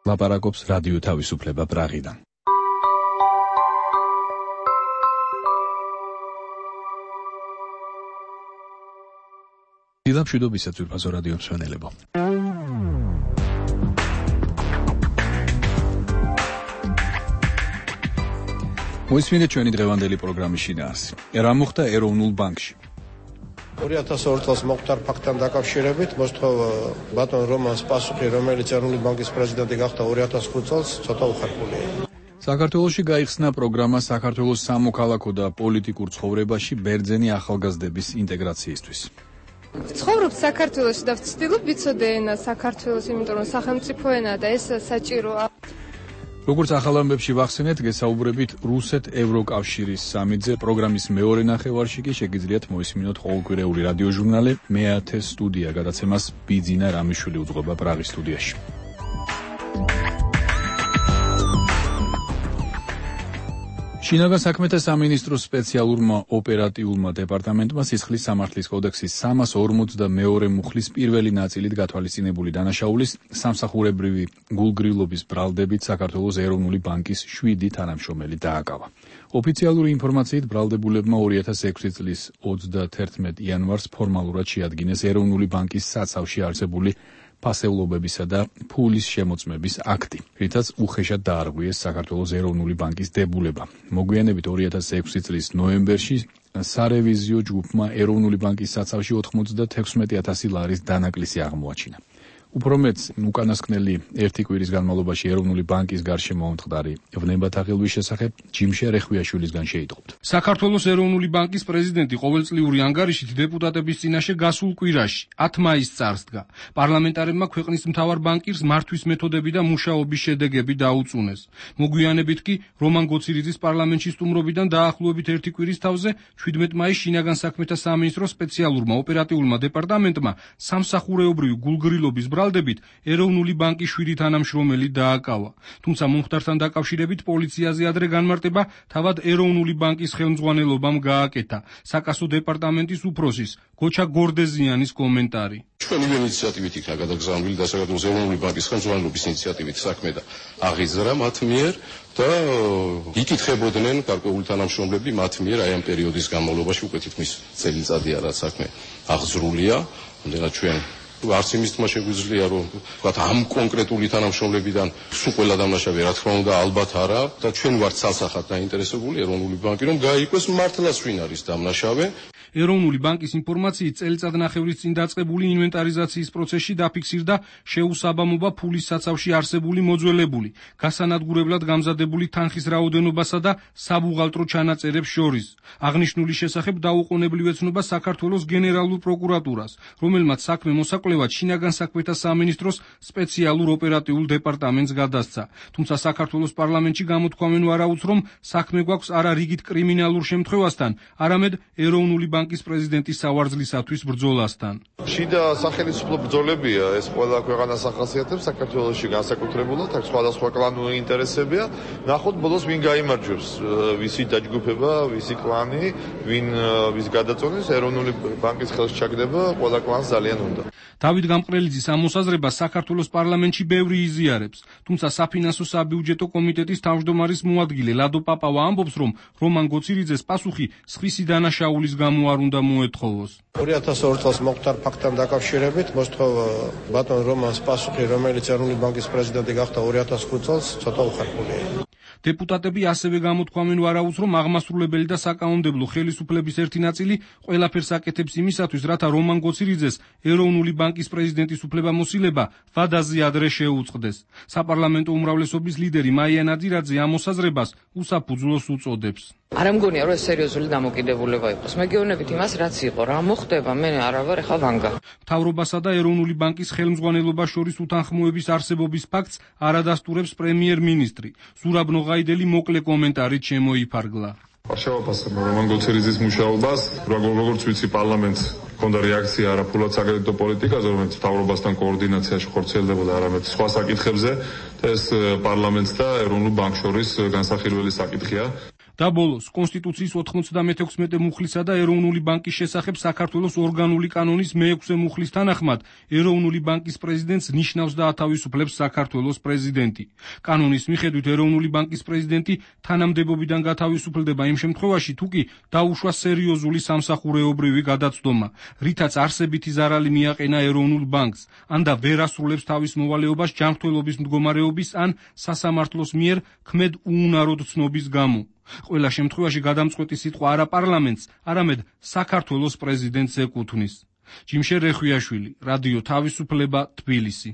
ლაპარაკობს რადიო თავისუფლება პრაღიდან. დილამშვიდობისაც ვიფასო რადიო მსმენელებო. მოისმინეთ ჩვენი დღევანდელი პროგრამის შინაარსი. რა მოხდა ეროვნულ ბანკში? 2002 წელს მოხდა ფაქტთან დაკავშირებით მოსთხოვა ბატონ რომანს პასუხი, რომელიც ეროვნული ბანკის პრეზიდენტი გახდა 2005 წელს, ცოტა უხერხულია. საქართველოში გაიხსნა პროგრამა საქართველოს სამოქალაქო და პოლიტიკურ ცხოვრებაში ბერძენი ახალგაზრდების ინტეგრაციისთვის. ცხოვრობ საქართველოში და ვცდილობ ვიცოდე ენა საქართველოს, იმიტომ რომ სახელმწიფო ენაა და ეს საჭიროა. როგორც ახალ ამბებში ვახსენეთ, გესაუბრებით რუსეთ-ევროკავშირის სამიტზე პროგრამის მეორე ნახევარში კი შეგიძლიათ მოისმინოთ ყოველკვირეული რადიოჟურნალი მე-10 სტუდია, გადაცემას ბიძინა რამიშვილი უძღვება პრაღის სტუდიაში. შინაგან საქმეთა სამინისტროს სპეციალურმა ოპერატიულმა დეპარტამენტმა სისხლის სამართლის კოდექსის 342 მუხლის პირველი ნაწილით გათვალისწინებული დანაშაულის სამსახურებრივი გულგრილობის ბრალდებით საქართველოს ეროვნული ბანკის 7 თანამშრომელი დააკავა. ოფიციალური ინფორმაციით ბრალდებულებმა 2006 წლის 31 იანვარს ფორმალურად შეადგინეს ეროვნული ბანკის საცავში არსებული ფასეულობებისა და ფულის შემოწმების აქტი, რითაც უხეშად დაარღვიეს საქართველოს ეროვნული ბანკის დებულება. მოგვიანებით 2006 წლის ნოემბერში სარევიზიო ჯგუფმა ეროვნული ბანკის საცავში 96,000 ლარის დანაკლისი აღმოაჩინა. უფრო მეც, უკანასკნელი ერთი კვირის განმავლობაში ეროვნული ბანკის გარშემო მომხდარი ვნებათა ღილვის შესახებ ჯიმშე რეხვიაშვილისგან შეიტყობთ. საქართველოს ეროვნული ბანკის პრეზიდენტი ყოველწლიური ანგარიშით დეპუტატების წინაშე გასულ კვირაში 10 მაისს წარსდგა. პარლამენტარებმა ქვეყნის მთავარ ბანკირს მართვის მეთოდები და მუშაობის შედეგები დაუწუნეს. მოგვიანებით კი რომან გოცირიძის პარლამენტში სტუმრობიდან დაახლოებით ერთი კვირის თავზე 17 მაისს შინაგან საქმეთა სამინისტროს სპეციალურმა ოპერატიულმა დეპარტამენტმა სამსახურეობრივი გულგრილობის ბრალდებით ეროვნული ბანკის 7 თანამშრომელი დააკავა. თუმცა მომხდართან დაკავშირებით პოლიციაზე ადრე განმარტება თავად ეროვნული ბანკის ხელმძღვანელობამ გააკეთა. საკასო დეპარტამენტის უფროსის გოჩა გორდეზიანის კომენტარი. ჩვენი ინიციატივით იქნა გადაგზავნილი და საქართველოს ეროვნული ბანკის ხელმძღვანელობის ინიციატივით საქმე და აღიზრა მათ მიერ და იკითხებოდნენ გარკვეული თანამშრომლები მათ მიერ აი ამ პერიოდის განმავლობაში, უკვე თითქმის წელიწადია რაც საქმე აღზრულია, ამდენად ჩვენ არც იმის თქმა შეგვიძლია, რომ ვთქვათ ამ კონკრეტული თანამშრომლებიდან სულ ყველა დამნაშავე, რა თქმა უნდა, ალბათ არა და ჩვენ ვართ სასახად დაინტერესებული ეროვნული ბანკი, რომ გაიყვეს მართლაც ვინ არის დამნაშავე. ეროვნული ბანკის ინფორმაციით წელიწადნახევრის წინ დაწყებული ინვენტარიზაციის პროცესში დაფიქსირდა შეუსაბამობა ფულის საცავში არსებული მოძველებული, გასანადგურებლად გამზადებული თანხის რაოდენობასა და საბუღალტრო ჩანაწერებს შორის. აღნიშნული შესახებ დაუყოვნებლივ ეცნობა საქართველოს გენერალურ პროკურატურას, რომელმაც საქმე მოსაკვლევად შინაგან საქმეთა სამინისტროს სპეციალურ ოპერატიულ დეპარტამენტს გადასცა. თუმცა საქართველოს პარლამენტში გამოთქვამენ ვარაუდს, რომ საქმე გვაქვს არა რიგით კრიმინალურ შემთხვევასთან, არამედ ეროვნული ბანკის პრეზიდენტის სავარძლისათვის ბრძოლასთან. შიდა სახელმწიფო ბრძოლებია, ეს ყველა ქვეყანას ახასიათებს საქართველოში განსაკუთრებულად, აქ სხვადასხვა კლანური ინტერესებია. ნახოთ ბოლოს ვინ გაიმარჯვებს, ვისი დაჯგუფება, ვისი კლანი, ვის გადაწონეს ეროვნული ბანკის ხელში ჩაგდება, ყველა კლანს ძალიან უნდა. დავით გამყრელიძის ამოსაზრებას საქართველოს პარლამენტში ბევრი იზიარებს, თუმცა საფინანსო საბიუჯეტო კომიტეტის თავმჯდომარის მოადგილე ლადო პაპავა ამბობს, რომ რომან გოცირიძეს პასუხი სხვისი დანაშაულის გამო არ უნდა მოეთხოვოს. 2002 წელს მოხდა ფაქტთან დაკავშირებით მოსთხოვა ბატონ რომანს პასუხი, რომელიც ეროვნული ბანკის პრეზიდენტი გახდა 2005 წელს, ცოტა უხერხულია. დეპუტატები ასევე გამოთქვამენ ვარაუდს, რომ აღმასრულებელი და საკანონმდებლო ხელისუფლების ერთი ნაწილი ყველაფერს აკეთებს იმისათვის, რათა რომან გოცირიძეს ეროვნული ბანკის პრეზიდენტის უფლებამოსილება ვადაზე ადრე შეუწყდეს. საპარლამენტო უმრავლესობის ლიდერი მაია ნაძირაძე ამ მოსაზრებას უსაფუძვლოს უწოდებს. არ ამგონია, რომ ეს სერიოზული დამოკიდებულება იყოს. მეგეუბნებით იმას, რაც იყო, რა მოხდება, მე არა ვარ ახლა ვანგა. მთავრობასა და ეროვნული ბანკის ხელმძღვანელობას შორის უთანხმოების არსებობის ფაქტს არადასტურებს პრემიერ-მინისტრი. ზურაბ ნოღაიდელი მოკლე კომენტარით შემოიფარგლა. შევაფასებ რომან გოცირიძის მუშაობას, როგორც ვიცი, პარლამენტს ჰქონდა რეაქცია არაფულად საკრედიტო პოლიტიკაზე, რომელიც მთავრობასთან კოორდინაციაში ხორციელდებოდა, არამედ სხვა საკითხებზე და ეს პარლამენტს და ეროვნულ ბანკს შორის განსახილველი საკითხია. და ბოლოს კონსტიტუციის 96 მუხლისა და ეროვნული ბანკის შესახებ საქართველოს ორგანული კანონის მე-6 მუხლის თანახმად ეროვნული ბანკის პრეზიდენტს ნიშნავს და ათავისუფლებს საქართველოს პრეზიდენტი. კანონის მიხედვით ეროვნული ბანკის პრეზიდენტი თანამდებობიდან გათავისუფლდება იმ შემთხვევაში, თუ კი დაუშვა სერიოზული სამსახურეობრივი გადაცდომა, რითაც არსებითი ზარალი მიაყენა ეროვნულ ბანკს, ან და ვერ ასრულებს თავის მოვალეობას ჯანმრთელობის მდგომარეობის ან სასამართლოს მიერ ქმედ უუნაროდ ცნობის გამო. ყველა შემთხვევაში გადამწყვეტი სიტყვა არა პარლამენტს, არამედ საქართველოს პრეზიდენტს ეკუთვნის. ჯიმშე რეხვიაშვილი, რადიო თავისუფლება, თბილისი.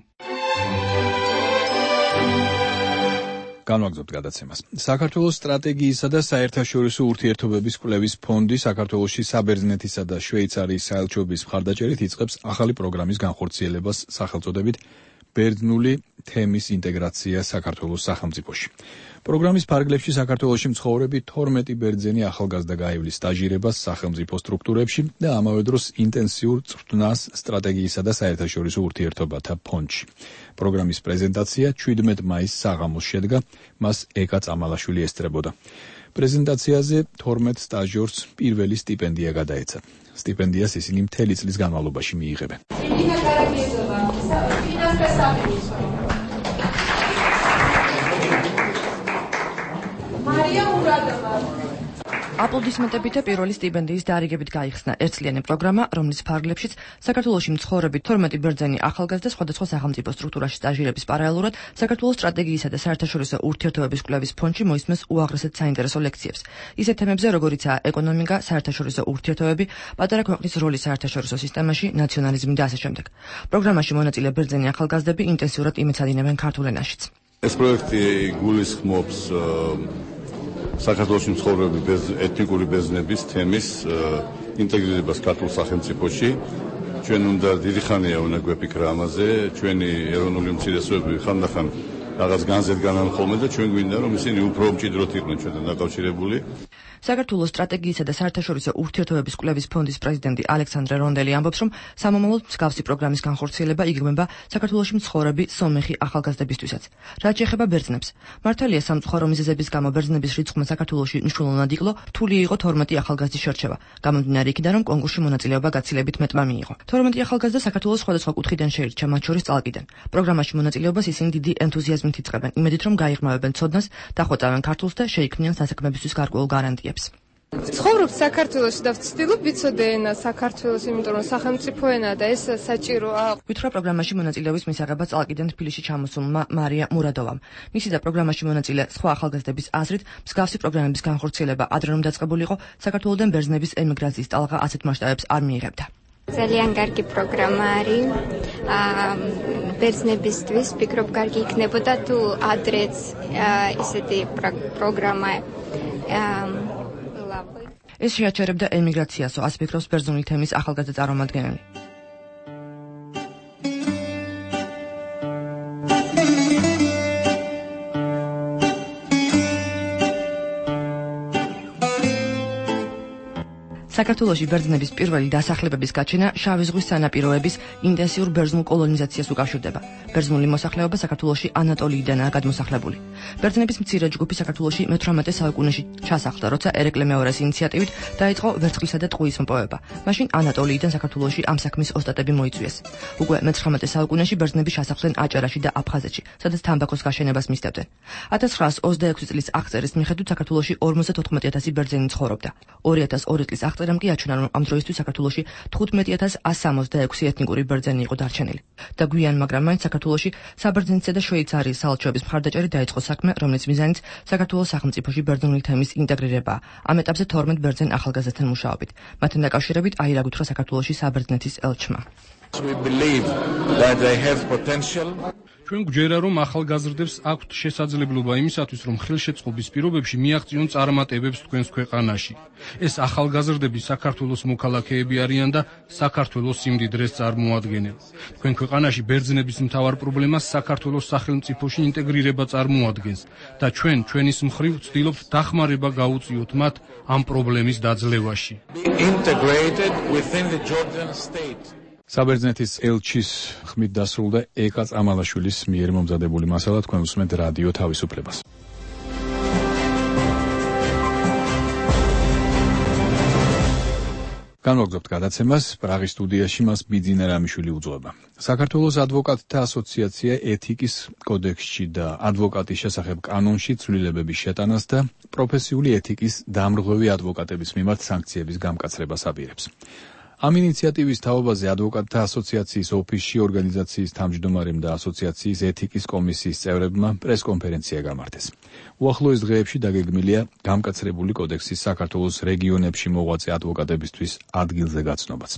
განვაგრძობთ გადაცემას. საქართველოს სტრატეგიისა და საერთაშორისო ურთიერთობების კვლევის ფონდი საქართველოში საბერძნეთისა და შვეიცარიის საელჩოების მხარდაჭერით იწყებს ახალი პროგრამის განხორციელებას სახელწოდებით ბერძნული თემის ინტეგრაცია საქართველოს სახელმწიფოში. პროგრამის ფარგლებში საქართველოში მცხოვრები 12 ბერძენი ახალგაზრდა გაივლის სტაჟირებას სახელმწიფო სტრუქტურებში და ამავე დროს ინტენსიურ წვრთნას სტრატეგიისა და საერთაშორისო ურთიერთობათა ფონდში. პროგრამის პრეზენტაცია 17 მაისს საღამოს შედგა, მას ეკა წამალაშვილი ესწრებოდა. პრეზენტაციაზე 12 სტაჟიორს პირველი სტიპენდია გადაეცა. სტიპენდიას ისინი მთელი წლის განმავლობაში მიიღებენ. აპლოდისმენტებით და პირველი სტიპენდიის დარიგებით გაიხსნა ერთწლიანი პროგრამა, რომლის ფარგლებშიც საქართველოში მცხოვრები 12 ბერძენი ახალგაზრდა სხვადასხვა სახელმწიფო სტრუქტურაში სტაჟირების პარალელურად საქართველოს სტრატეგიისა და საერთაშორისო ურთიერთობების კვლევის ფონდში მოისმენს უაღრესად საინტერესო ლექციებს. ისეთ თემებზე, როგორიცაა ეკონომიკა, საერთაშორისო ურთიერთობები, პატარა ქვეყნის როლი საერთაშორისო სისტემაში, ნაციონალიზმი და ასე შემდეგ. პროგრამაში მონაწილე ბერძენი ახალგაზრდები ინტენსიურად იმეცადინებენ ქართულ ენაშიც. ეს პროექტი გულისხმობს საქართველოს მცხოვრები ეთნიკური ბერძნების თემის ინტეგრირებას ქართულ სახელმწიფოში. ჩვენ უნდა დიდი ხანია უნდა გვეფიქრა ამაზე, ჩვენი ეროვნული უმცირესობები ხანდახან რაღაც განზეთ განან ხოლმე და ჩვენ გვინდა რომ ისინი უფრო მჭიდროდ იყვნენ ჩვენთან დაკავშირებული. საქართველოს სტრატეგიისა და საერთაშორისო ურთიერთობების კვლევის ფონდის პრეზიდენტი ალექსანდრე რონდელი ამბობს, რომ სამომავლოდ მსგავსი პროგრამის განხორციელება იგრძნობა საქართველოში მცხოვრები სომეხი ახალგაზრდებისთვისაც. რაც შეეხება ბერძნებს, მართალია სამწუხარო მიზეზების გამო ბერძნების რიცხვმა საქართველოში მნიშვნელოვნად იკლო, რთული იყო 12 ახალგაზრდის შერჩევა. გამომდინარე იქიდან, რომ კონკურსში მონაწილეობა გაცილებით მეტმა მიიღო. 12 ახალგაზრდა საქართველოს სხვადასხვა კუთხიდან შეირჩა, მათ შორის წალკიდან. პროგრამაში მონაწილეობას ისინი დიდი ენთუზიაზმით იწყებენ, იმედით რომ გაიღრმავებენ ცოდნას, დახვეწავენ ქართულს და შეიქმნიან სასაქმებისთვის გარკვეულ გარანტიას. ცხოვრობ საქართველოში და ვცდილობ ვიცოდე ენა საქართველოს, იმიტომ რომ სახელმწიფო ენაა და ეს საჭიროა. ვითხრა პროგრამაში მონაწილეობის მისაღება წალკიდან თბილისში ჩამოსულმა მარია მურადოვამ. მისი და პროგრამაში მონაწილე სხვა ახალგაზრდების აზრით, მსგავსი პროგრამების განხორციელება ადრე რომ დაწყებულიყო, საქართველოდან ბერძნების ემიგრაციის ტალღა ასეთ მასშტაბებს არ მიიღებდა. ძალიან კარგი პროგრამა არის. ბერძნებისთვის ვფიქრობ, კარგი იქნებოდა თუ ადრეც ესეთი პროგრამა ეს შეაჩერებდა ემიგრაციასო, ასე ფიქრობს ბერძნული თემის ახალგაზრდა წარმომადგენელი. საქართველოში ბერძნების პირველი დასახლებების გაჩენა შავი ზღვის სანაპიროების ინტენსიურ ბერძნულ კოლონიზაციას უკავშირდება. ბერძნული მოსახლეობა საქართველოში ანატოლიიდანაა გადმოსახლებული. ბერძნების მცირე ჯგუფი საქართველოში მე-18 საუკუნეში ჩასახლდა, როცა ერეკლე მეორეს ინიციატივით დაიწყო ვერცხლისა და ტყუის მოპოვება. მაშინ ანატოლიიდან საქართველოში ამ საქმის ოსტატები მოიწვიეს. უკვე მე-19 საუკუნეში ბერძნები ჩასახლდნენ აჭარაში და აფხაზეთში, სადაც თამბაქოს გაშენებას მისდევდნენ. 1926 წლის აღწერის მიხედვით საქართველოში 54,000 ბერძენი ცხოვრობდა. 2002 წლის აღწერამ კი აჩვენა, რომ ამ დროისთვის საქართველოში 15,166 ეთნიკური ბერძენი იყო დარჩენილი. და გვიან, მაგრამ მაინც საქართველოში საბერძნეთისა და შვეიცარიის საელჩოების მხარდაჭერით დაიწყო საქმე, რომლის მიზანიც საქართველოს სახელმწიფოში ბერძნული თემის ინტეგრირებაა. ამ ეტაპზე 12 ბერძენ ახალგაზრდთან მუშაობით. მათთან დაკავშირებით აირა გუთხრა საქართველოში საბერძნეთის ელჩმა. ჩვენ გვჯერა, რომ ახალგაზრდებს აქვთ შესაძლებლობა იმისათვის, რომ ხელშეწყობის პირობებში მიაღწიონ წარმატებებს თქვენს ქვეყანაში. ეს ახალგაზრდები საქართველოს მოქალაქეები არიან და საქართველოს სიმდიდრეს წარმოადგენენ. თქვენ ქვეყანაში ბერძნების მთავარ პრობლემას საქართველოს სახელმწიფოში ინტეგრირება წარმოადგენს და ჩვენ ჩვენის მხრივ ვცდილობთ დახმარება გაუწიოთ მათ ამ პრობლემის დაძლევაში. საბერძნეთის ელჩის ხმით დასრულდა ეკა წამალაშვილის მიერ მომზადებული მასალა, თქვენ უსმენთ რადიო თავისუფლებას. განვაგრძობთ გადაცემას, პრაღის სტუდიაში მას ბიძინა რამიშვილი უძღვება. საქართველოს ადვოკატთა ასოციაცია ეთიკის კოდექსში და ადვოკატის შესახებ კანონში ცვლილებების შეტანას და პროფესიული ეთიკის დამრღვევი ადვოკატების მიმართ სანქციების გამკაცრებას აპირებს. ამ ინიციატივის თაობაზე ადვოკატთა ასოციაციის ოფისში ორგანიზაციის თავმჯდომარემ და ასოციაციის ეთიკის კომისიის წევრებმა პრესკონფერენცია გამართეს. უახლოეს დღეებში დაგეგმილია გამკაცრებული კოდექსის საქართველოს რეგიონებში მოღვაწე ადვოკატებისთვის ადგილზე გაცნობაც.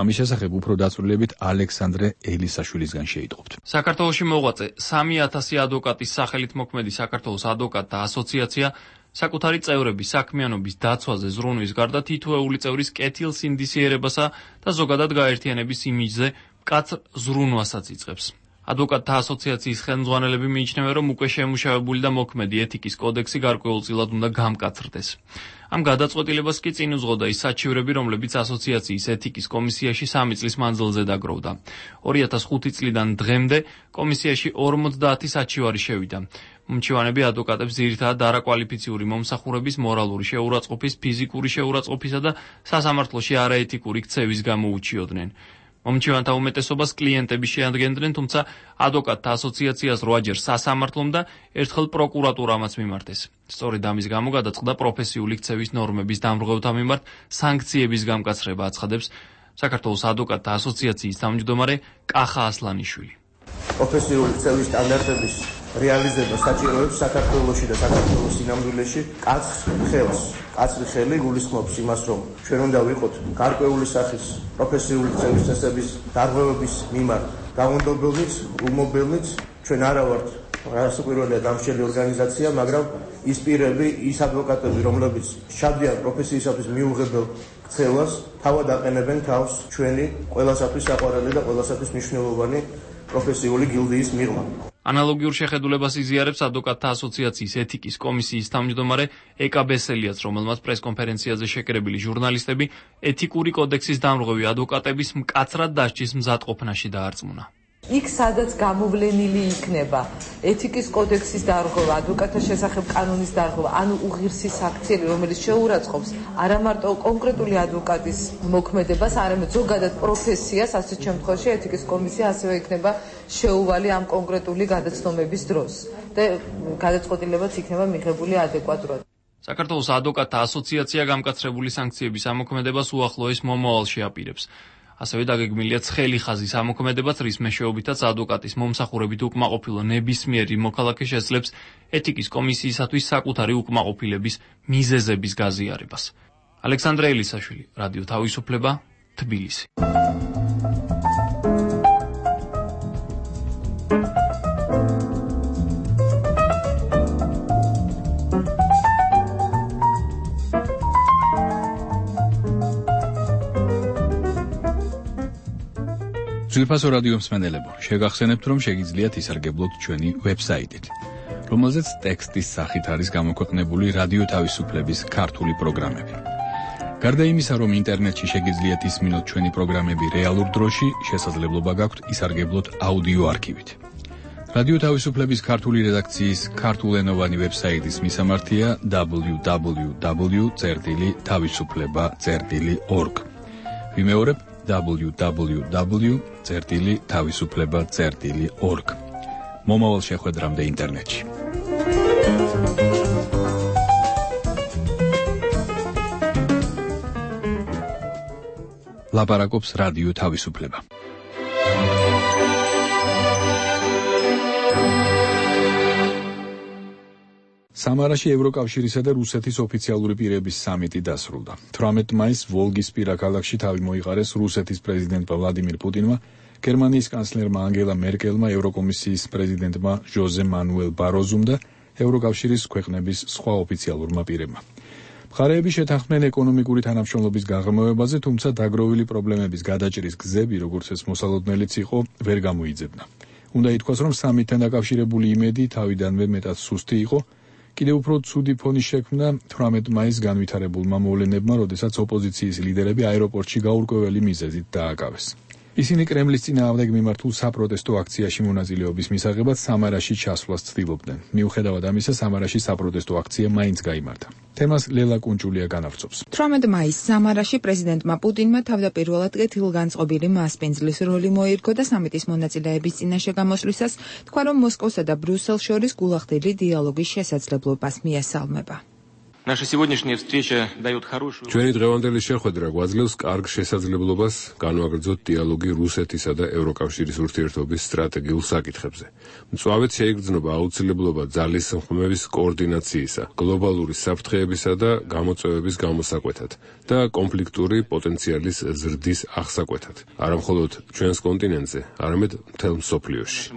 ამის შესახებ უფრო დაწვრილებით ალექსანდრე ელისაშვილისგან შეიტყობთ. საქართველოში მოღვაწე 3000 ადვოკატის სახელით მოქმედი საქართველოს ადვოკატთა ასოციაცია საკუთარი წევრების საქმიანობის დაცვაზე ზრუნვის გარდა თითოეული წევრის კეთილსინდისიერებასა და ზოგადად გაერთიანების იმიჯზე მკაცრ ზრუნვასაც იწყებს. ადვოკატთა ასოციაციის ხელმძღვანელები მიიჩნევენ, რომ უკვე შემუშავებული და მოქმედი ეთიკის კოდექსი გარკვეულწილად უნდა გამკაცრდეს. ამ გადაწყვეტილებას კი წინ უძღოდა ის საჩივრები, რომლებიც ასოციაციის ეთიკის კომისიაში 3 წლის მანძილზე დაგროვდა. 2005 წლიდან დღემდე კომისიაში 50 საჩივარი შევიდა. მომჩივანები ადვოკატებს ძირითადად არაკვალიფიციური მომსახურების, მორალური შეურაცხყოფის, ფიზიკური შეურაცხყოფისა და სასამართლოში არაეთიკური ქცევის გამო უჩიოდნენ. მომჩივანთა უმეტესობას კლიენტები შეადგენდნენ, თუმცა ადვოკატთა ასოციაციას 8-ჯერ სასამართლომ და ერთხელ პროკურატურამაც მიმართეს. სწორედ ამის გამო გადაწყდა პროფესიული ქცევის ნორმების დამრღვევთა მიმართ სანქციების გამკაცრება, აცხადებს საქართველოს ადვოკატთა ასოციაციის თავმჯდომარე კახა ასლანიშვილი. პროფესიული ქცევის სტანდარტების რეალიზება საჭიროებს საქართველოში და საქართველოს სინამდვილეში კაცრი ხელი გულისხმობს იმას, რომ ჩვენ უნდა ვიყოთ გარკვეული სახის პროფესიული ქცევის წესების დარღვევების მიმართ გამონდობილნიც, უმობილნიც. ჩვენ არა ვართ რასაკვირველია დამსჯელი ორგანიზაცია, მაგრამ ის პირები, ის ადვოკატები, რომლებიც ჩადიან პროფესიისათვის მიუღებელ ქცევას, თავად აყენებენ თავს ჩვენი ყველასათვის საყვარელი და ყველასათვის მნიშვნელოვანი პროფესიული გილდიის მიღმა. ანალოგიურ შეხედულებას იზიარებს ადვოკატთა ასოციაციის ეთიკის კომისიის თავმჯდომარე ეკა ბესელიაც, რომელმაც პრესკონფერენციაზე შეკრებილი ჟურნალისტები ეთიკური კოდექსის დამრღვევი ადვოკატების მკაცრად დასჯის მზადყოფნაში დაარწმუნა. იქ სადაც გამოვლენილი იქნება ეთიკის კოდექსის დარღვევა, ადვოკატთა შესახებ კანონის დარღვევა, ანუ უღირსი საქციელი, რომელიც შეურაცხყოფს არა მარტო კონკრეტული ადვოკატის მოქმედებას, არამედ ზოგადად პროფესიას, ასეთ შემთხვევაში ეთიკის კომისია ასევე იქნება შეუვალი ამ კონკრეტული გადაცნომების დროს და გადაწყვეტილებაც იქნება მიღებული ადეკვატურად. საქართველოს ადვოკატთა ასოციაცია გამკაცრებული სანქციების ამოქმედებას უახლოეს მომავალში აპირებს. ასევე დაგეგმილია ცხელი ხაზის ამოქმედებაც, რის მეშვეობითაც ადვოკატის მომსახურებით უკმაყოფილო ნებისმიერი მოქალაქე შეძლებს ეთიკის კომისიისათვის საკუთარი უკმაყოფილების მიზეზების გაზიარებას. ალექსანდრე ელისაშვილი, რადიო თავისუფლება, თბილისი. ძვირფასო რადიო მსმენელებო, შეგახსენებთ, რომ შეგიძლიათ ისარგებლოთ ჩვენი ვებსაიტით, რომელზეც ტექსტის სახით არის გამოქვეყნებული რადიო თავისუფლების ქართული პროგრამები. გარდა იმისა, რომ ინტერნეტში შეგიძლიათ ისმინოთ ჩვენი პროგრამები რეალურ დროში, შესაძლებლობა გაქვთ ისარგებლოთ აუდიო არქივით. რადიო თავისუფლების ქართული რედაქციის ქართულენოვანი ვებსაიტის მისამართია www.tavisufleba.org. ვიმეორებ www.tavisufleba.org. მომავალ შეხვედრამდე ინტერნეტში. ლაპარაკობს რადიო თავისუფლება. სამარაში ევროკავშირისა და რუსეთის ოფიციალური პირების სამიტი დასრულდა. 18 მაისს ვოლგისპირა ქალაქში თავი მოიყარეს რუსეთის პრეზიდენტმა ვლადიმირ პუტინმა, გერმანიის კანცლერმა ანგელა მერკელმა, ევროკომისიის პრეზიდენტმა ჟოზე მანუელ ბაროზუმ და ევროკავშირის ქვეყნების სხვა ოფიციალურმა პირებმა. მხარეები შეთანხმდნენ ეკონომიკური თანამშრომლობის გაღრმავებაზე, თუმცა დაგროვილი პრობლემების გადაჭრის გზები, როგორც ეს მოსალოდნელიც იყო, ვერ გამოიძებნა. უნდა ითქვას, რომ სამიტთან დაკავშირებული იმედი თავიდანვე მეტად სუსტი იყო. კიდევ უფრო ცუდი ფონი შექმნა 18 მაისს განვითარებულმა მოვლენებმა, როდესაც ოპოზიციის ლიდერები აეროპორტში გაურკვეველი მიზეზით დააკავეს. ისინი კრემლის წინააღმდეგ მიმართულ საპროტესტო აქციაში მონაწილეობის მისაღებად სამარაში ჩასვლას ცდილობდნენ. მიუხედავად ამისა, სამარაში საპროტესტო აქცია მაინც გაიმართა. თემას ლელა კუნჭულია განავრცობს. 18 მაისს სამარაში პრეზიდენტმა პუტინმა თავდაპირველად კეთილგანწყობილი მასპინძლის როლი მოირგო და სამიტის მონაწილეების წინაშე გამოსვლისას თქვა, რომ მოსკოვსა და ბრიუსელს შორის გულახდილი დიალოგის შესაძლებლობას მიესალმება. ჩვენი დღევანდელი შეხვედრა გვაძლევს კარგ შესაძლებლობას განვაგრძოთ დიალოგი რუსეთისა და ევროკავშირის ურთიერთობის სტრატეგიულ საკითხებზე. მწვავედ შეიგრძნობა აუცილებლობა ძალისხმევის კოორდინაციისა, გლობალური საფრთხეებისა და გამოწვევების გამოსაკვეთად და კონფლიქტური პოტენციალის ზრდის აღსაკვეთად. არა მხოლოდ ჩვენს კონტინენტზე, არამედ მთელ მსოფლიოში.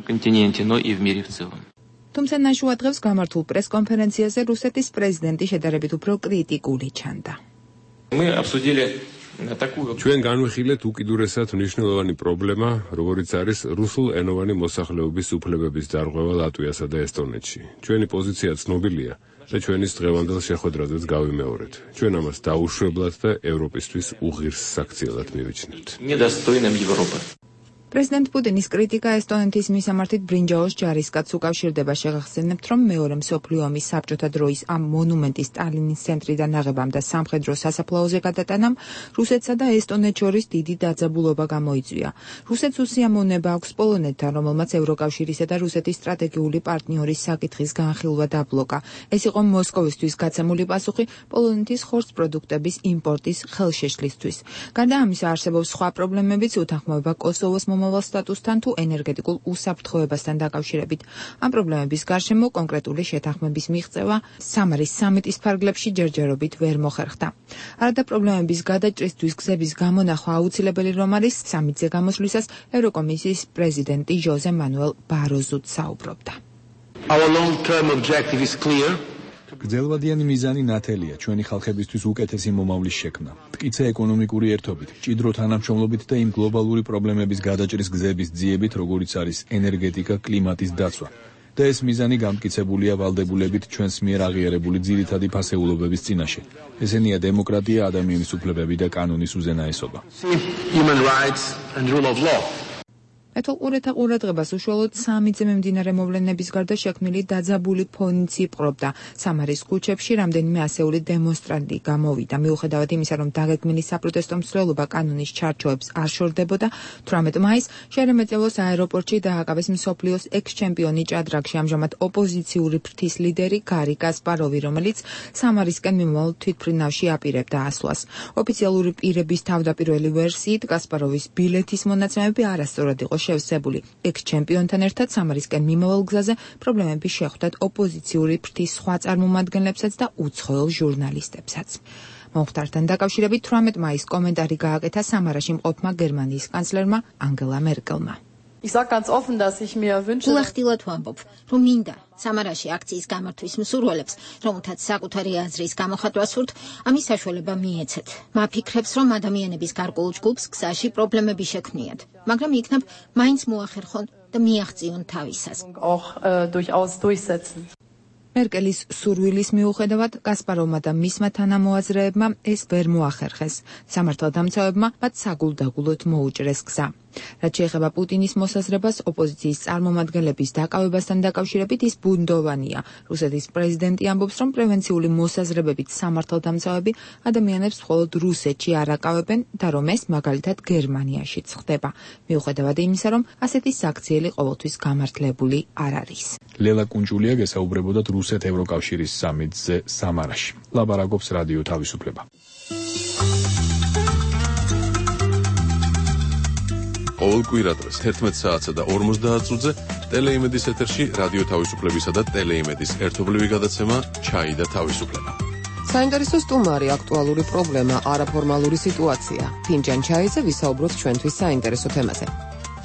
თუმცა ნაშუა დღეს გამართულ პრესკონფერენციაზე რუსეთის პრეზიდენტი შედარებით უფრო კრიტიკული ჩანდა. ჩვენ განვიხილეთ უკიდურესად მნიშვნელოვანი პრობლემა, როგორიც არის რუსულენოვანი მოსახლეობის უფლებების დარღვევა ლატვიასა და ესტონეთში. ჩვენი პოზიცია ცნობილია და ჩვენის დღევანდელ შეხვედრაზეც გავიმეორეთ. ჩვენ ამას დაუშვებლად და ევროპისთვის უღირს საქციელად მივიჩნევთ. პრეზიდენტ პუტინის კრიტიკა ესტონეთის მისამართით ბრინჯაოს ჯარისკაცს უკავშირდება. შეგახსენებთ, რომ მეორე მსოფლიო ომის საბჭოთა დროის ამ მონუმენტის სტალინის ცენტრიდან აღებამ და სამხედრო სასაფლაოზე გადატანამ რუსეთსა და ესტონეთს შორის დიდი დაძაბულობა გამოიწვია. რუსეთს უსიამოვნება აქვს პოლონეთთან, რომელმაც ევროკავშირისა და რუსეთის სტრატეგიული პარტნიორის საკითხის განხილვა დაბლოკა. ეს იყო მოსკოვისთვის გაცემული პასუხი პოლონეთის ხორცპროდუქტების იმპორტის ხელშეშლისთვის. გარდა ამისა, არსებობს სხვა პრობლემებიც, უთანხმოება კოსოვოს მომავალ სტატუსთან თუ ენერგეტიკულ უსაფრთხოებასთან დაკავშირებით. ამ პრობლემების გარშემო კონკრეტული შეთანხმების მიღწევა სამარის სამიტის ფარგლებში ჯერჯერობით ვერ მოხერხდა. არადა პრობლემების გადაჭრისთვის გზების გამონახვა აუცილებელი რომ არის, სამიტზე გამოსვლისას ევროკომისიის პრეზიდენტი ჟოზე მანუელ ბაროზუც საუბრობდა. Our long-term objective is clear. გრძელვადიანი მიზანი ნათელია ჩვენი ხალხებისთვის უკეთესი მომავლის შექმნა, მტკიცე ეკონომიკური ერთობით, ჭიდრო თანამშრომლობით და იმ გლობალური პრობლემების გადაჭრის გზების ძიებით, როგორიც არის ენერგეტიკა, კლიმატის დაცვა. და ეს მიზანი გამტკიცებულია ვალდებულებით ჩვენს მიერ აღიარებული ძირითადი ფასეულობების წინაშე. ესენია დემოკრატია, ადამიანის უფლებები და კანონის უზენაესობა. Human rights and rule of law. ეთოლყურეთა ყურადღებას უშუალოდ სამიტზე მიმდინარე მოვლენების გარდა შექმნილი დაძაბული ფონიც იპყრობდა. სამარის ქუჩებში რამდენიმე ასეული დემონსტრანტი გამოვიდა. მიუხედავად იმისა, რომ დაგეგმილი საპროტესტო მსვლელობა კანონის ჩარჩოებს არ შორდებოდა, 18 მაისს შერემეტევოს აეროპორტში დააკავეს მსოფლიოს ექს-ჩემპიონი ჭადრაგში ამჟამად ოპოზიციური ფრთის ლიდერი გარი კასპაროვი, რომელიც სამარისკენ მიმავალ თვითმფრინავში აპირებდა ასვლას. ოფიციალური პირების თავდაპირველი ვერსიით კასპაროვის ბილეთის მონაცემები არასწორად იყო შევსებული. ექს-ჩემპიონთან ერთად სამარისკენ მიმავალ გზაზე პრობლემები შეხვდათ ოპოზიციური ფრთის სხვა წარმომადგენლებსაც და უცხოელ ჟურნალისტებსაც. მომხდართან დაკავშირებით 18 მაისს კომენტარი გააკეთა სამარაში მყოფმა გერმანიის კანცლერმა ანგელა მერკელმა. გულახდილად ვამბობ, რომ მინდა სამარაში აქციის გამართვის მსურველებს, რომელთაც საკუთარი აზრის გამოხატვა სურთ, ამის საშუალება მიეცეთ. მაფიქრებს, რომ ადამიანების გარკვეულ ჯგუფს გზაში პრობლემები შექმნიათ, მაგრამ იქნებ მაინც მოახერხონ და მიაღწიონ თავისას. მერკელის სურვილის მიუხედავად კასპაროვმა და მისმა თანამოაზრეებმა ეს ვერ მოახერხეს. სამართალდამცავებმა მათ საგულდაგულოდ მოუჭრეს გზა. რაც შეეხება პუტინის მოსაზრებას ოპოზიციის წარმომადგენლების დაკავებასთან დაკავშირებით, ის ბუნდოვანია. რუსეთის პრეზიდენტი ამბობს, რომ პრევენციული მოსაზრებებით სამართალდამცავები ადამიანებს მხოლოდ რუსეთში არ აკავებენ და რომ ეს მაგალითად გერმანიაშიც ხდება. მიუხედავად იმისა, რომ ასეთი საქციელი ყოველთვის გამართლებული არ არის. ლელა კუნჭულია გესაუბრებოდათ რუსეთ-ევროკავშირის სამიტზე სამარაში. ლაბარაკობს რადიო თავისუფლება. ყოველ კვირადღეს 11 საათსა და 50 წუთზე ტელეიმედის ეთერში რადიო თავისუფლებისა და ტელეიმედის ერთობლივი გადაცემა ჩაი და თავისუფლება. საინტერესო სტუმარი, აქტუალური პრობლემა, არაფორმალური სიტუაცია. ფინჯან ჩაიზე ვისაუბროთ ჩვენთვის საინტერესო თემაზე.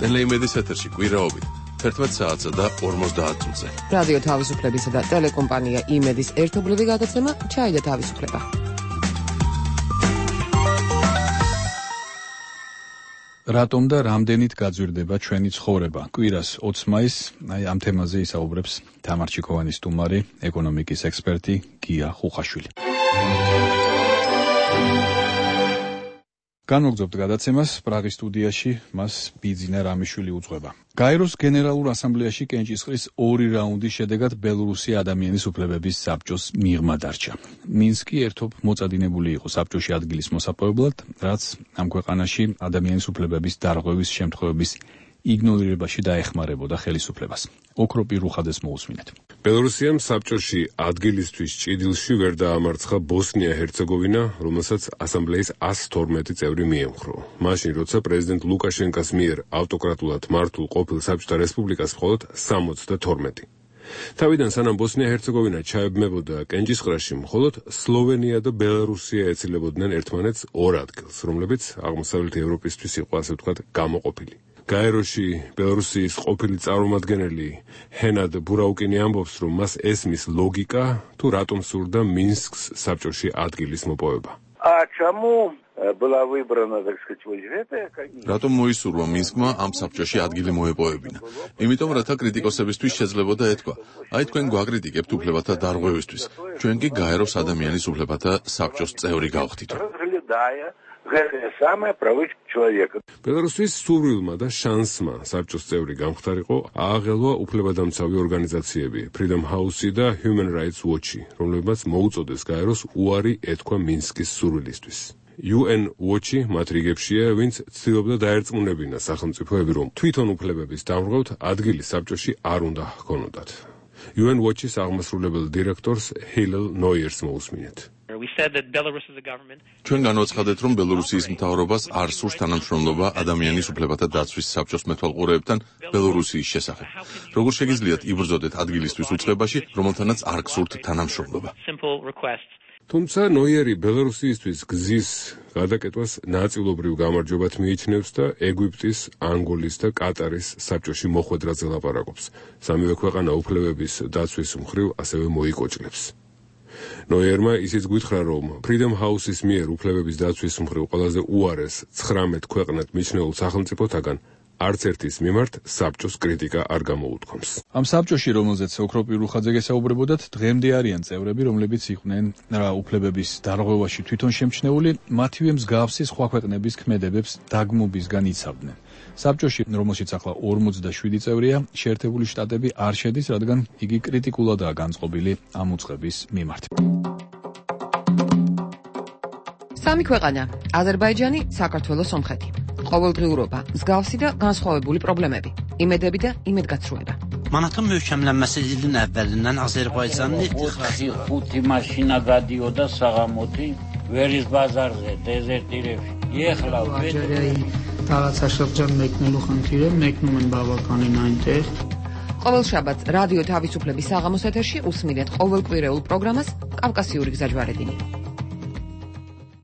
ტელეიმედის ეთერში კვირაობით 11 საათსა და 50 წუთზე. რადიო თავისუფლებისა და ტელეკომპანია იმედის ერთობლივი გადაცემა ჩაი და თავისუფლება. რატომ და რამდენით გაძვირდება ჩვენი ცხოვრება? კვირას 20 მაისს ამ თემაზე ისაუბრებს თამარ ჩიქოვანის სტუმარი, ეკონომიკის ექსპერტი გია ხუხაშვილი. განვაგრძობთ გადაცემას, პრაღის სტუდიაში მას ბიძინა რამიშვილი უძღვება. გაეროს გენერალურ ასამბლეაში კენჭისყრის 2 რაუნდის შედეგად ბელორუსია ადამიანის უფლებების საბჭოს მიღმა დარჩა. მინსკი ერთობ მოწადინებული იყო საბჭოში ადგილის მოსაპოვებლად, რაც ამ ქვეყანაში ადამიანის უფლებების დარღვევის შემთხვევების იგნორირებაში დაეხმარებოდა ხელისუფლებას. ოქროპი რუხადეს მოусმინეთ. ბელორუსიამ საბჭოში ადგილისთვის ჭიდილში ვერ დაამარცხა ბოსნია-ჰერცეგოვინა, რომელსაც ასამბლეის 112 წევრი მიემხრო. მაშინ, როცა პრეზიდენტ ლუკაშენკას მიერ ავტოკრატულად მართულ ყოფილ საბჭოთა რესპუბლიკას მხოლოდ 72. თავიდან სანამ ბოსნია-ჰერცეგოვინა ჩაებმებოდა კენჭისყრაში, მხოლოდ სლოვენია და ბელარუსია ეცილებოდნენ ერთმანეთს 2 ადგილს, რომლებიც აღმოსავლეთ ევროპისთვის იყო, ასე ვთქვათ, გამოყოფილი. გაეროში ბელორუსიის ყოფილი წარმომადგენელი ჰენად ბურაუკინი ამბობს, რომ მას ესმის ლოგიკა, თუ რატომ სურდა მინსკს საბჭოში ადგილის მოპოვება. რატომ მოისურვა მინსკმა ამ საბჭოში ადგილი მოეპოვებინა? იმიტომ, რათა კრიტიკოსებისთვის შეძლებოდა ეთქვა: აი თქვენ გვაკრიტიკებთ უფლებათა დარღვევისთვის, ჩვენ კი გაეროს ადამიანის უფლებათა საბჭოს წევრი გავხდითო. ბელარუსის სურვილმა და შანსმა საბჭოს წევრი გამხდარიყო ააღელვა უფლებადამცავი ორგანიზაციები Freedom House და Human Rights Watch, რომლებმაც მოუწოდეს გაეროს უარი ეთქვა მინსკის სურვილისთვის. UN Watch მათ რიგებშია, ვინც ცდილობდა დაერწმუნებინა სახელმწიფოები, რომ თვითონ უფლებების დამრღვევთ ადგილი საბჭოში არ უნდა ჰქონოდათ. UN Watch-ის აღმასრულებელ დირექტორს ჰილელ ნოიერს მოусმინეთ. ჩვენ განვაცხადეთ, რომ ბელორუსიის მთავრობას არ სურს თანამშრომლობა ადამიანის უფლებათა დაცვის საბჭოს მეთვალყურეებთან ბელორუსიის შესახებ. როგორ შეგიძლიათ იბრძოდეთ ადგილისთვის უწყებაში, რომელთანაც არ გსურთ თანამშრომლობა? თუმცა ნოიერი ბელორუსიისთვის გზის გადაკეტვას ნაწილობრივ გამარჯვებად მიიჩნევს და ეგვიპტის, ანგოლის და კატარის საბჭოში მოხვედრაზე ლაპარაკობს. სამივე ქვეყანა უფლებების დაცვის მხრივ ასევე მოიკოჭლებს. ნოიერმა ისიც გითხრა, რომ Freedom House-ის მიერ უფლებების დაცვის მხრივ ყველაზე უარეს 19 ქვეყნად მიჩნეულ სახელმწიფოთაგან არც ერთის მიმართ საბჭოს კრიტიკა არ გამოუთქვამს. ამ საბჭოში, რომელზეც ოქროპი რუხაძე გესაუბრებოდათ, დღემდე არიან წევრები, რომლებიც იყვნენ უფლებების დარღვევაში თვითონ შემჩნეული, მათივე მსგავსი სხვა ქვეყნების ქმედებებს დაგმობისგან იცავდნენ. საბჭოში, რომელშიც ახლა 47 წევრია, შეერთებული შტატები არ შედის, რადგან იგი კრიტიკულადაა განწყობილი ამ უწყების მიმართ. სამი ქვეყანა: აზერბაიჯანი, საქართველო, სომხეთი. ყოველდღიურობა, მსგავსი და განსხვავებული პრობლემები, იმედები და იმედგაცრუება. Manatın möhkəmlənməsi ilin əvvəlindən Azərbaycanın ixtixası 5 maşına qadıyorda sağamoti veriz bazarზე dezertirებში. Ეხლა տարածաշրջան մեկնելու խնդիրը մեկնում են բավականին այնտեղ. ყოველ შაბათს რადიო თავისუფლების საღამოს ეთერში უსმინეთ ყოველკვირეულ პროგრამას კავკასიური გზაჯვარედინი.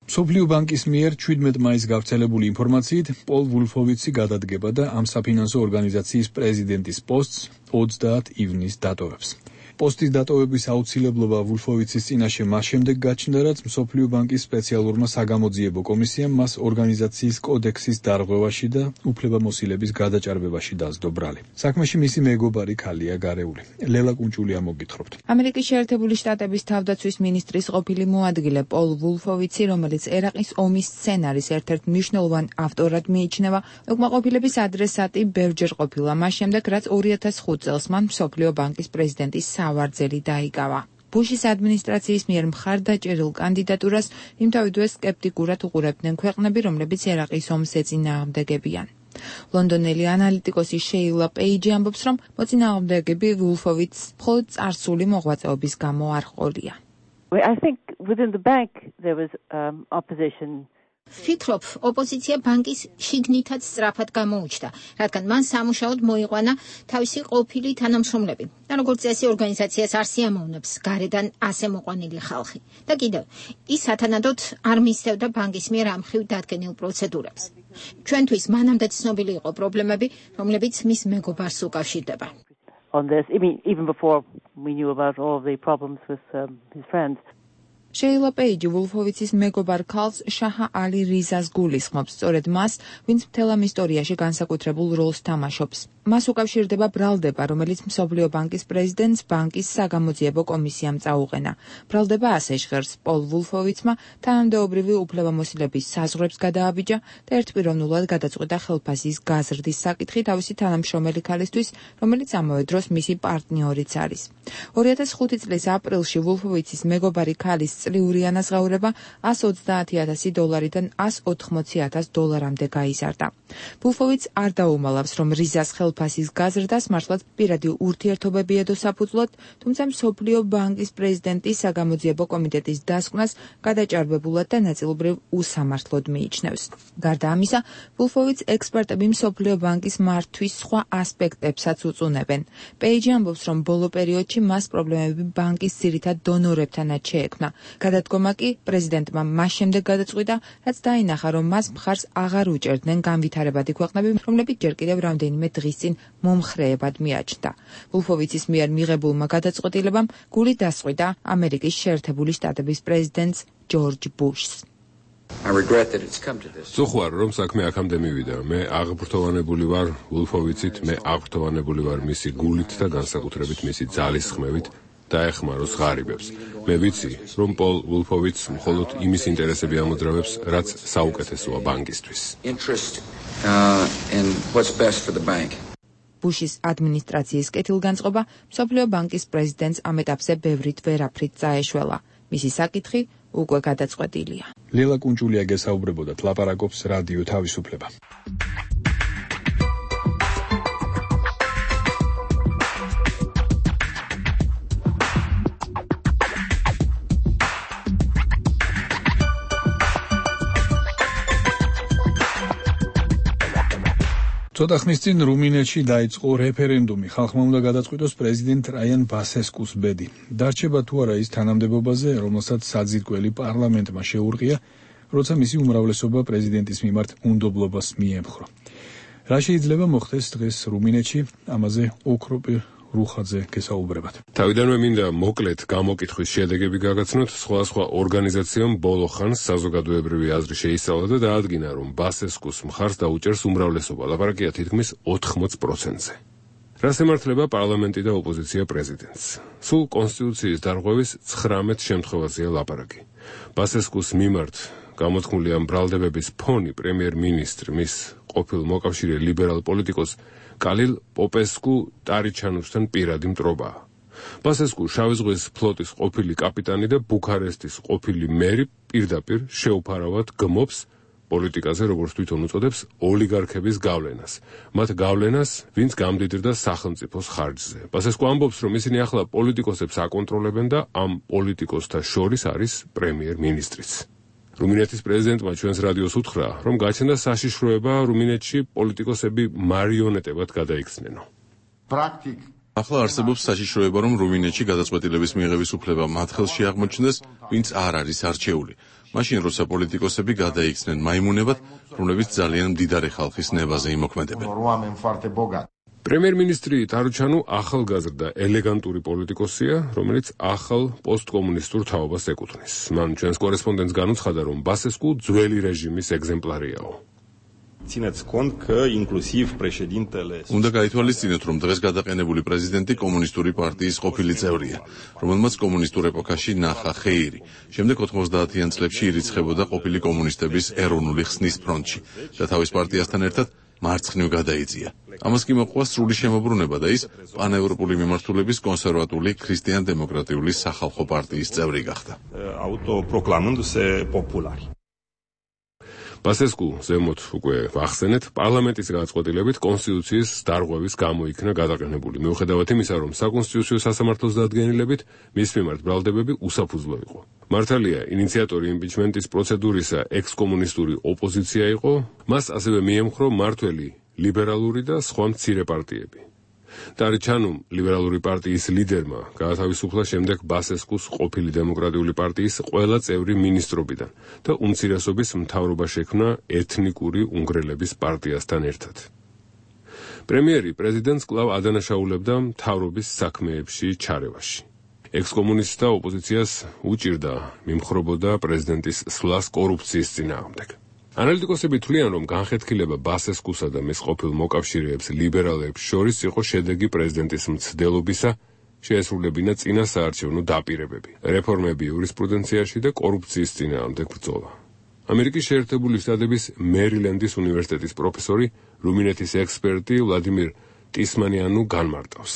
მსოფლიო ბანკის მიერ 17 მაისს გავრცელებული ინფორმაციით, პოლ ვულფოვიცი გადადგება და ამ საფინანსო ორგანიზაციის პრეზიდენტის პოსტს 30 ივნისს დატოვებს. პოსტის დატოვების აუცილებლობა ვულფოვიცის წინაშე მას შემდეგ გაჩნდა, რაც მსოფლიო ბანკის სპეციალურმა საგამოძიებო კომისიამ მას ორგანიზაციის კოდექსის დარღვევაში და უფლებამოსილების გადაჭარბებაში დასდო ბრალი. საქმეში მისი მეგობარი ქალია გარეული. ლელა კუნჭულია მოგითხრობთ. ამერიკის შეერთებული შტატების თავდაცვის მინისტრის ყოფილი მოადგილე პოლ ვულფოვიცი, რომელიც ერაყის ომის სცენარის ერთ-ერთ მნიშვნელოვან ავტორად მიიჩნევა, უკმაყოფილების ადრესატი ბევრჯერ ყოფილა მას შემდეგ, რაც 2005 წელს მან მსოფლიო ბანკის პრეზიდენტის ავარძელი დაიკავა. ბუშის ადმინისტრაციის მიერ მხარდაჭერილ კანდიდატურას იმთავითვე სკეპტიკურად უყურებდნენ ქვეყნები, რომლებიც ერაყის ომს ეწინააღმდეგებიან. ლონდონელი ანალიტიკოსი შეილა პეიჯი ამბობს, რომ მოწინააღმდეგები ვულფოვიცს მხოლოდ წარსული მოღვაწეობის გამო არ ყოლია. I think within the bank there was opposition. Ვფიქრობ, ოპოზიცია ბანკის შიგნითაც სწრაფად გამოუჩნდა, რადგან მან სამუშაოდ მოიყვანა თავისი ყოფილი თანამშრომლები. და როგორც წესი ორგანიზაციას არ სიამოვნებს გარედან ასე მოყვანილი ხალხი. და კიდევ, ის სათანადოდ არ მისდევდა ბანკის მიერ ამ მხრივ დადგენილ პროცედურებს. ჩვენთვის მანამდე ცნობილი იყო პრობლემები, რომლებიც მის მეგობარს უკავშირდება. On this, even before we knew about all of the problems with his friends. შეილა პეიჯი ვულფოვიცის მეგობარ ქალს შაჰა ალი რიზას გულისხმობს, სწორედ მას, ვინც მთელ ამ ისტორიაში განსაკუთრებულ როლს თამაშობს. მას უკავშირდება ბრალდება, რომელიც მსოფლიო ბანკის პრეზიდენტს ბანკის საგამოძიებო კომისიამ წაუყენა. ბრალდება ასე ჟღერს პოლ ვულფოვიცმა თანამდებობრივი უფლებამოსილების საზღვრებს გადააბიჯა და ერთპიროვნულად გადაწყვიტა ხელფასის გაზრდის საკითხი თავისი თანამშრომელი ქალისთვის, რომელიც ამავე დროს მისი პარტნიორიც არის. 2005 წლის აპრილში ვულფოვიცის მეგობარი ქალის წლიური ანაზღაურება $130,000-დან $180,000-მდე გაიზარდა. ვულფოვიც არ დაუმალავს, რომ რიზას ხელფასის გაზრდას მართლაც პირადი ურთიერთობები ედო საფუძვლად, თუმცა მსოფლიო ბანკის პრეზიდენტის საგამოძიებო კომიტეტის დასკვნას გადაჭარბებულად და ნაწილობრივ უსამართლოდ მიიჩნევს. გარდა ამისა, ვულფოვიც ექსპერტები მსოფლიო ბანკის მართვის სხვა ასპექტებსაც უწუნებენ. პეიჯი ამბობს, რომ ბოლო პერიოდში მას პრობლემები ბანკის ძირითად დონორებთანაც შეექმნა. გადადგომა კი პრეზიდენტმა მას შემდეგ გადაწყვიტა, რაც დაინახა, რომ მას მხარს აღარ უჭერდნენ განვითარებადი ქვეყნები, რომლებიც ჯერ კიდევ რამდენიმე დღის წინ მომხრეებად მიაჩნდა. ვულფოვიცის მიერ მიღებულმა გადაწყვეტილებამ გული დასყვიტა ამერიკის შეერთებული შტატების პრეზიდენტს ჯორჯ ბუშს. სუხوار რომ საქმე აქამდე მივიდა. მე აღბრთოვანებული ვარ ვულფოვიცით, მე აღბრთოვანებული ვარ მისი გულით და განსაკუთრებით მისი ძალის ხმევით დაეხმაროს ღარიბებს. მე ვიცი, რომ პოლ ვულფოვიც მხოლოდ იმის ინტერესები ამოძრავებს, რაც საუკეთესოა ბანკისთვის. ბუშის ადმინისტრაციის კეთილგანწყობა მსოფლიო ბანკის პრეზიდენტს ამ ეტაპზე ბევრით ვერაფრით წაეშველა. მისი საკითხი უკვე გადაწყვეტილია. ლელა კუნჭულია გესაუბრებოდათ, ლაპარაკობს რადიო თავისუფლება. ცოტა ხნის წინ რუმინეთში დაიწყო რეფერენდუმი. ხალხმა უნდა გადაწყვიტოს პრეზიდენტ რაიან ბასესკუს ბედი. დარჩება თუ არა ის თანამდებობაზე, რომელსაც საძირკველი პარლამენტმა შეურყია, როცა მისი უმრავლესობა პრეზიდენტის მიმართ უნდობლობას მიემხრო. რა შეიძლება მოხდეს დღეს რუმინეთში? ამაზე ოქროპი რუხაძე გესაუბრებათ. თავიდანვე მინდა მოკლედ გამოკითხვის შედეგები გაგაცნოთ. სხვა ორგანიზაციამ ბოლო ხანს საზოგადოებრივი აზრი შეისწავლა და დაადგინა, რომ ბასესკუს მხარს დაუჭერს უმრავლესობა. ლაპარაკია თითქმის 80%-ზე. რას ემართლება პარლამენტი და ოპოზიცია პრეზიდენტს? სულ კონსტიტუციის დარღვევის 19 შემთხვევაზეა ლაპარაკი. ბასესკუს მიმართ გამოთქმული ამ ბრალდებების ფონი პრემიერ-მინისტრი, მის ყოფილ მოკავშირე ლიბერალ პოლიტიკოს კალილ პოპესკუ ტარიჩანუსთან პირადი მტრობაა. ბასესკუ შავი ზღვის ფლოტის ყოფილი კაპიტანი და ბუქარესტის ყოფილი მერი პირდაპირ შეუფარავად გმობს პოლიტიკაზე, როგორც თვითონ უწოდებს, ოლიგარქების გავლენას. მათ გავლენას, ვინც გამდიდრდა სახელმწიფოს ხარჯზე. ბასესკუ ამბობს, რომ ისინი ახლა პოლიტიკოსებს აკონტროლებენ და ამ პოლიტიკოსთა შორის არის პრემიერ-მინისტრიც. რუმინეთის პრეზიდენტმა ჩვენს რადიოს უთხრა, რომ გაჩნდა საშიშროება რუმინეთში პოლიტიკოსები მარიონეტებად გადაიქცნენო. ახლა არსებობს საშიშროება, რომ რუმინეთში გადაწყვეტილების მიღების უფლება მათ ხელში აღმოჩნდეს, ვინც არ არის არჩეული. მაშინ როცა პოლიტიკოსები გადაიქცნენ მაიმუნებად, რომლებიც ძალიან მდიდარი ხალხის ნებაზე იმოქმედებენ. პრემიერ-მინისტრი ტარუჩანუ ახალგაზრდა ელეგანტური პოლიტიკოსია, რომელიც ახალ პოსტკომუნისტურ თაობას ეკუთვნის. მან ჩვენს კორესპონდენტს განუცხადა, რომ ბასესკუ ძველი რეჟიმის ეგზემპლარიაო. უნდა გაითვალისწინოთ, რომ დღეს გადაყენებული პრეზიდენტი კომუნისტური პარტიის ყოფილი წევრია, რომელმაც კომუნისტურ ეპოქაში ნახა ხეირი. შემდეგ 90-იან წლებში ირიცხებოდა ყოფილი კომუნისტების ეროვნული ხსნის ფრონტში და თავის პარტიასთან ერთად მარცხნივ გადაიწია. ამას კი მოყვა სრული შემოbrunება და ის პანევროპული მიმართულების კონსერვატული ქრისტიან-დემოკრატიული სახალხო პარტიის წევრი გახდა. ბასესკუ ზემოთ უკვე ვახსენეთ, პარლამენტის გადაწყვეტილებით კონსტიტუციის დარღვევის გამო იქნა გადაყენებული. მიუხედავად იმისა, რომ საკონსტიტუციო სასამართლოს დადგენილებით მის მიმართ ბრალდებები უსაფუძვლო იყო. მართალია, ინიციატორი იმპიჩმენტის პროცედურისა ექს-კომუნისტური ოპოზიცია იყო, მას ასევე მიემხრო მმართველი ლიბერალური და სხვა მცირე პარტიები. ტარიჩანუმ ლიბერალური პარტიის ლიდერმა გაათავისუფლა შემდეგ ბასესკუს ყოფილი დემოკრატიული პარტიის ყველა წევრი მინისტრობიდან და უმცირესობის მთავრობა შექმნა ეთნიკური უნგრელების პარტიასთან ერთად. პრემიერი პრეზიდენტს კვლავ ადანაშაულებდა მთავრობის საქმეებში ჩარევაში. ექს-კომუნისტთა ოპოზიციას უჭირდა მიმხრობოდა პრეზიდენტის სვლას კორუფციის წინააღმდეგ. ანალიტიკოსები თვლიან, რომ განხეთქილება ბასესკუსა და მის ყოფილ მოკავშირეებს ლიბერალებს შორის იყო შედეგი პრეზიდენტის მცდელობისა შეესრულებინა წინა საარჩევნო დაპირებები, რეფორმები იურისპრუდენციაში და კორუფციის წინააღმდეგ ბრძოლა. ამერიკის შეერთებული შტატების მერილენდის უნივერსიტეტის პროფესორი, რუმინეთის ექსპერტი ვლადიმირ ტისმანიანუ განმარტავს.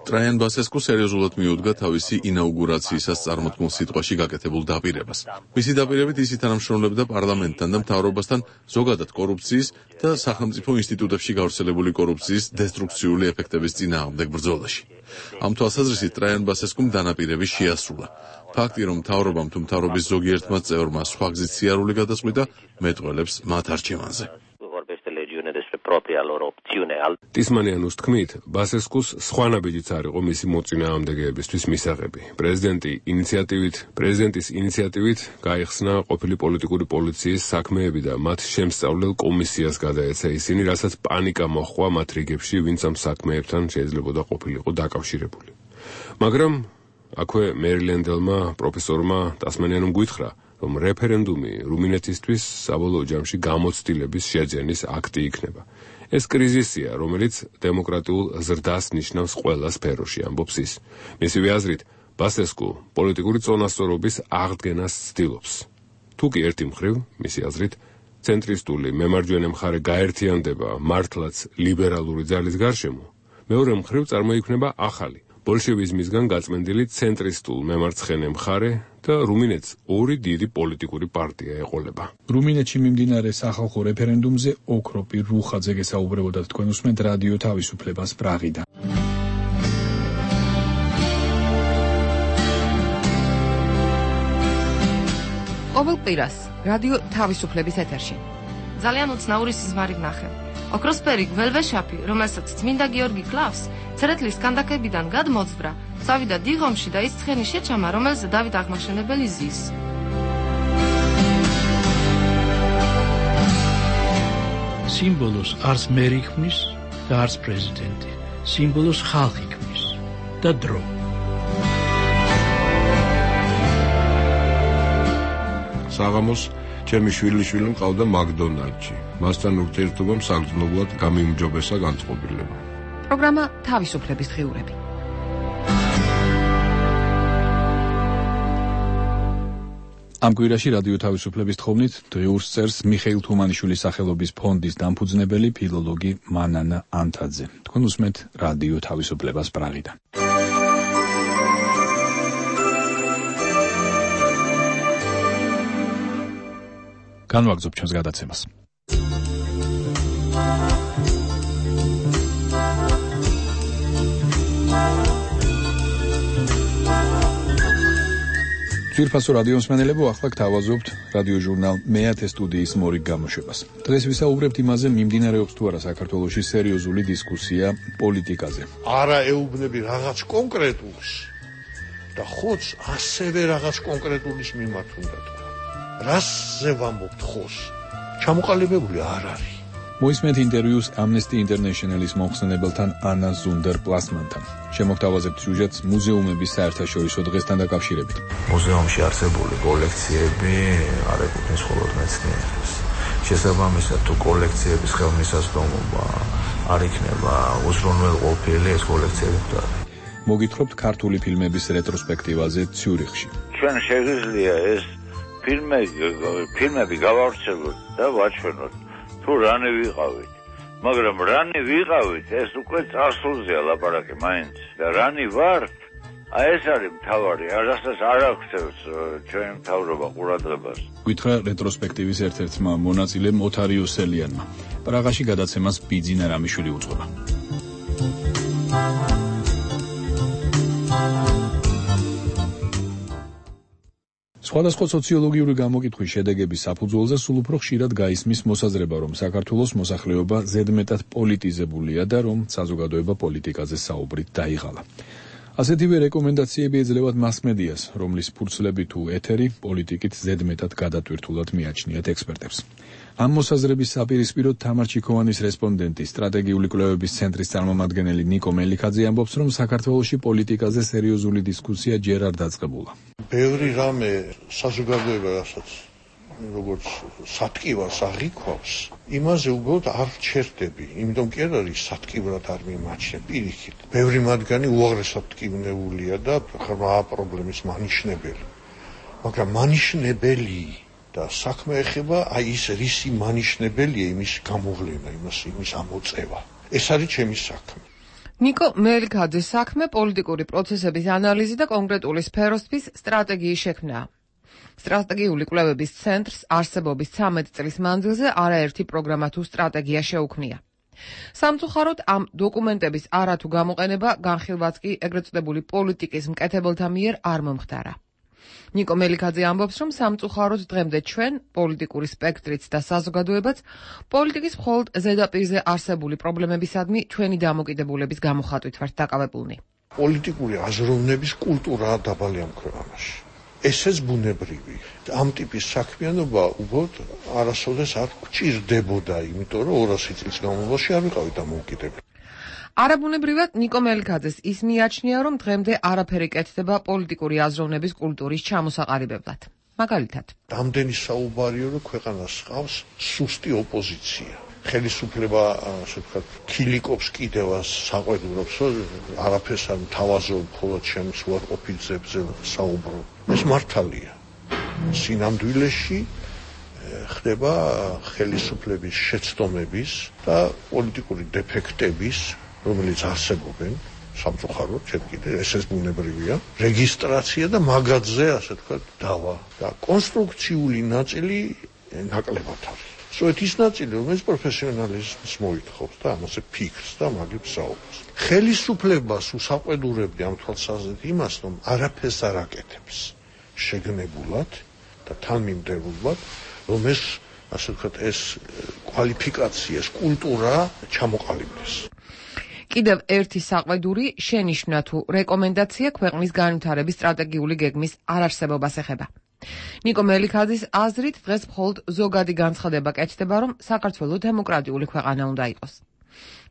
ტრაიან ბასესკუ სერიოზულად მიუდგა თავისი ინაუგურაციისას წარმოთმულ სიტყვაში გაკეთებულ დაპირებას. მისი დაპირებით ის ითანამშრომლებდა პარლამენტთან და მთავრობასთან ზოგადად კორუფციის და სახელმწიფო ინსტიტუტებში გავრცელებული კორუფციის დესტრუქციული ეფექტების წინააღმდეგ ბრძოლაში. ამ თვალსაზრისით ტრაიან ბასესკუმ დანაპირები შეასრულა. ფაქტი, რომ მთავრობამ თუ მთავრობის ზოგიერთმა წევრმა სხვა გზით სიარული გადაწყვიტა, მეტყველებს მათ არჩევანზე. ტისმანიანუს თქმით, ბასესკუს სხვა ნაბიჯიც არ იყო მისი მოწინააღმდეგეებისთვის მისაღები. პრეზიდენტის ინიციატივით გაიხსნა ყოფილი პოლიტიკური პოლიციის საქმეები და მათ შემსწავლელ კომისიას გადაეცა ისინი, რასაც პანიკა მოჰყვა მათ რიგებში, ვინც ამ საქმეებთან შეიძლებოდა ყოფილიყო დაკავშირებული. მაგრამ აქვე მერილენდელმა პროფესორმა ტასმანიანუმ გითხრა, რომ რეფერენდუმი რუმინეთისთვის საბოლოო ჯამში გამოცდილების შეძენის აქტი იქნება. ეს კრიზისია, რომელიც დემოკრატიულ ზრდას ნიშნავს ყველა სფეროში, ამბობს ის. მისივე აზრით, ბასესკუ პოლიტიკური წონასწორობის აღდგენას ცდილობს. თუ კი ერთი მხრივ, მისი აზრით, ცენტრისტული მემარჯვენე მხარე გაერთიანდება მართლაც ლიბერალური ძალის გარშემო, მეორე მხრივ წარმოიქმნება ახალი ბოლშევიზმისგან გაწმენდილი ცენტრისტულ მემარცხენე მხარე და რუმინეთს ორი დიდი პოლიტიკური პარტია ეყოლება. რუმინეთში მიმდინარე სახალხო რეფერენდუმზე ოქროპი რუხაძე გესაუბრებოდათ თქვენ უსმენთ რადიო თავისუფლებას პრაღიდან. ყოველ კვირას რადიო თავისუფლების ეთერში. ძალიან უცნაური სიზმარი ვნახე. ოქროსფერი გველვეშაპი, რომელსაც წმინდა გიორგი კლავს, ცერეთლის კანდაკებიდან გადმოძვრა, წავიდა დიღომში და ის ცხენი შეჩამა, რომელზე დავით აღმაშენებელი ზის. სიმბოლოს არც მერი ქმნის და არც პრეზიდენტი. სიმბოლოს ხალხი ქმნის და დრო. საღამოს ჩემი შვილიშვილი მყავდა მაკდონალდში. მასთან ურთიერთობამ საგრძნობლად გამიმჯობესა განწყობილება. პროგრამა თავისუფლების დღიურები. ამ კვირაში რადიო თავისუფლების თხოვნით დღიურს წერს მიხეილ თუმანიშვილის სახელობის ფონდის დამფუძნებელი ფილოლოგი მანანა ანთაძე. თქვენ უსმენთ რადიო თავისუფლებას პრაღიდან. განვაგრძობ ჩვენს გადაცემას. ძვირფასო რადიო მსმენელებო, ახლა გთავაზობთ რადიო ჟურნალ მეათე სტუდიის მორიგ გამოშვებას. დღეს ვისაუბრებთ იმაზე, მიმდინარეობს თუ არა საქართველოში სერიოზული დისკუსია პოლიტიკაზე. არა ეუბნები რაღაც კონკრეტულს და ხოც ასევე რაღაც კონკრეტულის მიმართ უნდა თქვა. რასზე ვამბობთ ხოს? ჩამოყალიბებული არ არის. მოისმენთ ინტერვიუს Amnesty International-ის მომხსენებელთან ანა ზუნდერ-პლასმანთან. შემოგთავაზებთ სიუჟეტს მუზეუმების საერთაშორისო დღესთან დაკავშირებით. მუზეუმში არსებული კოლექციები არ ეკუთვნის მხოლოდ მეცნიერებს. შესაბამისად, თუ კოლექციების ხელმისაწვდომობა არ იქნება უზრუნველყოფილი, ეს კოლექციები მკვდარი. მოგითხრობთ ქართული ფილმების რეტროსპექტივაზე ციურიხში. ჩვენ შეგვიძლია ეს ფილმები გავავრცელოთ და ვაჩვენოთ თუ რანი ვიყავით. მაგრამ რანი ვიყავით, ეს უკვე წარსულზეა ლაპარაკი მაინც. და რანი ვართ, ეს არის მთავარი, რასაც არ აღწევს ჩვენი მთავრობა ყურადღებას. გითხრა რეტროსპექტივის ერთ-ერთმა მონაწილემ ოთარ იოსელიანმა. პრაღაში გადაცემას ბიძინა რამიშვილი უძღვება. სხვადასხვა სოციოლოგიური გამოკითხვის შედეგების საფუძველზე სულ უფრო ხშირად გაისმის მოსაზრება, რომ საქართველოს მოსახლეობა ზედმეტად პოლიტიზებულია და რომ საზოგადოება პოლიტიკაზე საუბრით დაიღალა. ასეთივე რეკომენდაციები ეძლევათ მასმედიას, რომლის ფურცლები თუ ეთერი პოლიტიკით ზედმეტად გადატვირთულად მიაჩნიათ ექსპერტებს. ამ მოსაზრების საპირისპიროდ თამარ ჩიქოვანის რესპონდენტი, სტრატეგიული კვლევების ცენტრის წარმომადგენელი ნიკო მელიქაძე ამბობს, რომ საქართველოში პოლიტიკაზე სერიოზული დისკუსია ჯერ არ დაწყებულა. ბევრი რამე საზოგადოება, რასაც როგორც სათქივას აღიქვავს, იმაზე უბრალოდ არ ჩერდები, იმიტომ კი არ არის სათქივრად არ მიმაჩნია პირიქით. ბევრი მათგანი უაღრესად ტკივნეულია და ღრმა პრობლემის მანიშნებელი. მაგრამ მანიშნებელი და საქმე ეხება აი ის რისი მანიშნებელია იმის გამოვლენა, იმის ამოწევა. ეს არის ჩემი საქმე. ნიკო მელიქაძის საქმე პოლიტიკური პროცესების ანალიზი და კონკრეტული სფეროსთვის სტრატეგიის შექმნაა. სტრატეგიული კვლევების ცენტრს არსებობის 13 წლის მანძილზე არაერთი პროგრამა თუ სტრატეგია შეუქმნია. სამწუხაროდ ამ დოკუმენტების არათუ გამოყენება განხილვაც კი ეგრეთ წოდებული პოლიტიკის მკეთებელთა მიერ არ მომხდარა. ნიკო მელიქაძე ამბობს, რომ სამწუხაროდ დღემდე ჩვენ, პოლიტიკური სპექტრიც და საზოგადოებაც, პოლიტიკის მხოლოდ ზედაპირზე არსებული პრობლემებისადმი ჩვენი დამოკიდებულების გამოხატვით ვართ დაკავებულნი. პოლიტიკური აზროვნების კულტურაა დაბალი ამ ქვეყანაში. ესეც ბუნებრივი. ამ ტიპის საქმიანობა უბრალოდ არასოდეს არ გვჭირდებოდა, იმიტომ რომ 200 წლის განმავლობაში არ ვიყავით დამოუკიდებელი. არაბუნებრივად ნიკო მელიქაძეს ის მიაჩნია, რომ დღემდე არაფერი კეთდება პოლიტიკური აზროვნების კულტურის ჩამოსაყალიბებლად. მაგალითად, რამდენი საუბარია, რომ ქვეყანას ჰყავს სუსტი ოპოზიცია. ხელისუფლება, ასე ვთქვათ, ქილიკობს კიდევ საყვედურობს, რომ არაფერს არ მთავაზობ, მხოლოდ ჩემს უარყოფითებზე საუბრობ. ეს მართალია. სინამდვილეში ხდება ხელისუფლების შეცდომების და პოლიტიკური დეფექტების, რომელიც არსებობენ, სამწუხაროდ, ჩვენ კიდე ესეც ბუნებრივია, რეგისტრაცია და მაგათზე, ასე ვთქვათ, დავა და კონსტრუქციული ნაწილი ნაკლებად არის. სწორედ ის ნაწილი, რომელიც პროფესიონალიზმს მოითხოვს და ამაზე ფიქრს და მაგებს საუბრობს. ხელისუფლებას უსაყვედურებდი ამ თვალსაზრისით იმას, რომ არაფერს არ აკეთებს შეგნებულად და თანმიმდევრულად, რომ ეს, ასე ვთქვათ, ეს კვალიფიკაცია, ეს კულტურა ჩამოყალიბდეს. კიდევ ერთი საყვედური შენიშვნა თუ რეკომენდაცია ქვეყნის განვითარების სტრატეგიული გეგმის არარსებობას ეხება. ნიკო მელიქაძის აზრით დღეს მხოლოდ ზოგადი განცხადება კეთდება, რომ საქართველო დემოკრატიული ქვეყანა უნდა იყოს.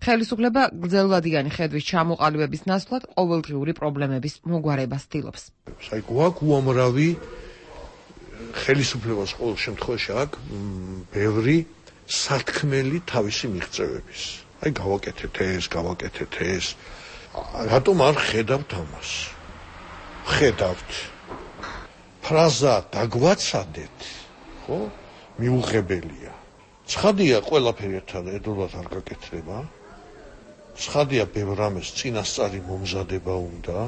ხელისუფლება გრძელვადიანი ხედვის ჩამოყალიბების ნაცვლად ყოველდღიური პრობლემების მოგვარებას ცდილობს. აი გვაქვს უამრავი ხელისუფლებას ყოველ შემთხვევაში აქვს ბევრი სათქმელი თავისი მიღწევების. აი გავაკეთეთ ეს. რატომ არ ხედავთ ამას? ხედავთ. ფრაზა დაგვაცადეთ, ხო? მიუღებელია. ცხადია ყველაფერი ერთად არ გაკეთდება. ცხადია ბევრ რამეს წინასწარი მომზადება უნდა.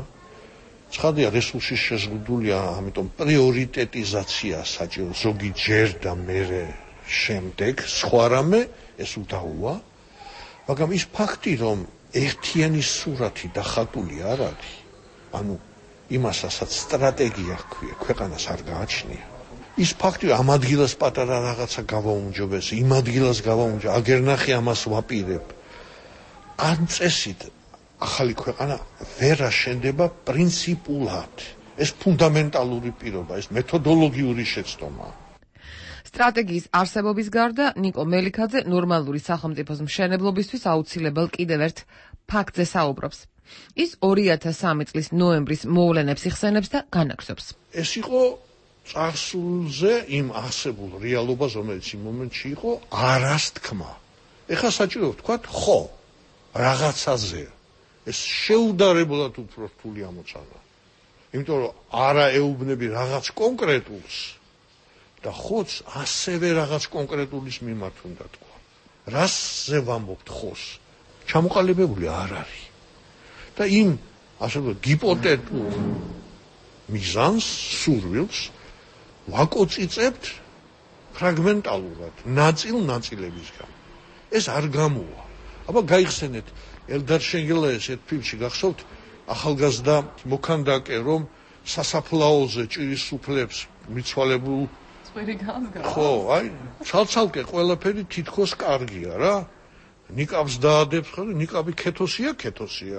ცხადია რესურსის შეზღუდულია, ამიტომ პრიორიტეტიზაცია საჭირო, ზოგი ჯერ და მერე შემდეგ, სხვა რამე ეს უდაოა. მაგრამ ის ფაქტი, რომ ერთიანი სურათი დახატული არ არის, ანუ იმასაც სტრატეგია ჰქვია, ქვეყანას არ გააჩნია. ის ფაქტი, ამ ადგილას პატარა რაღაცა გავაუმჯობეს, იმ ადგილას გავაუმჯობეს, აგერ ნახე ამას ვაპირებ. ამ წესით ახალი ქვეყანა ვერ აშენდება პრინციპულად. ეს ფუნდამენტალური პირობა, ეს მეთოდოლოგიური შეცდომაა. სტრატეგიის არსებობის გარდა ნიკო მელიქაძე ნორმალური სახელმწიფოს მშენებლობისთვის აუცილებელ კიდევ ერთ ფაქტზე საუბრობს. ის 2003 წლის ნოემბრის მოვლენებს იხსენებს და განაგზობს. ეს იყო წარსულზე იმ არსებულ რეალობას, რომელიც იმ მომენტში იყო, არას თქმა. ეხლა საჭირო ვთქვათ, ხო, რაღაცაზე. ეს შეუდარებლად უფრო რთული ამოწანა. იმიტომ რომ არა ეუბნები რაღაც კონკრეტულს და ხოც ასევე რაღაც კონკრეტულის მიმართ უნდა თქვა. რასზე ვამბობთ ხოს? ჩამოყალიბებული არ არის. და იმ, ასე ვთქვათ, გიპოთეტურ მიზანს, სურვილს ვაკოწიწებთ ფრაგმენტალურად, ნაწილებისგან. ეს არ გამოვა. აბა გაიხსენეთ ელდარ შენგელაიას ერთ ფილმში გახსოვთ ახალგაზრდა მოქანდაკე, რომ სასაფლაოზე ჭირის სუფლებს მიცვალებულ ხო, აი, ცალცალკე ყველაფერი თითქოს კარგია რა. ნიკაბს დაადებს, ხო, ნიკაბი ქეთოსია.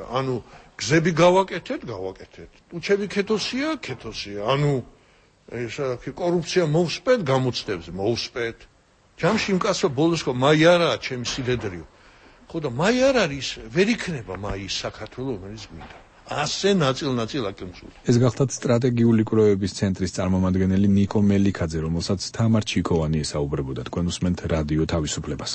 ანუ გზები გავაკეთეთ. უჩები ქეთოსია. ანუ ესა კორუფცია მოვსპეთ, გამოცდებზე მოვსპეთ. ჯამში იმ კაცო ბოლოს ხო მაი არაა ჩემი სიდედრიო. ხო და მაი არ არის, ვერ იქნება მაი საქართველოს რომელიც მინდა. ასე ნაწილ-ნაწილ აკემწული. ეს გახლავთ სტრატეგიული კვლევების ცენტრის წარმომადგენელი ნიკო მელიქაძე, რომელსაც თამარ ჩიკოვანი ესაუბრებოდა. თქვენ უსმენთ რადიო თავისუფლებას.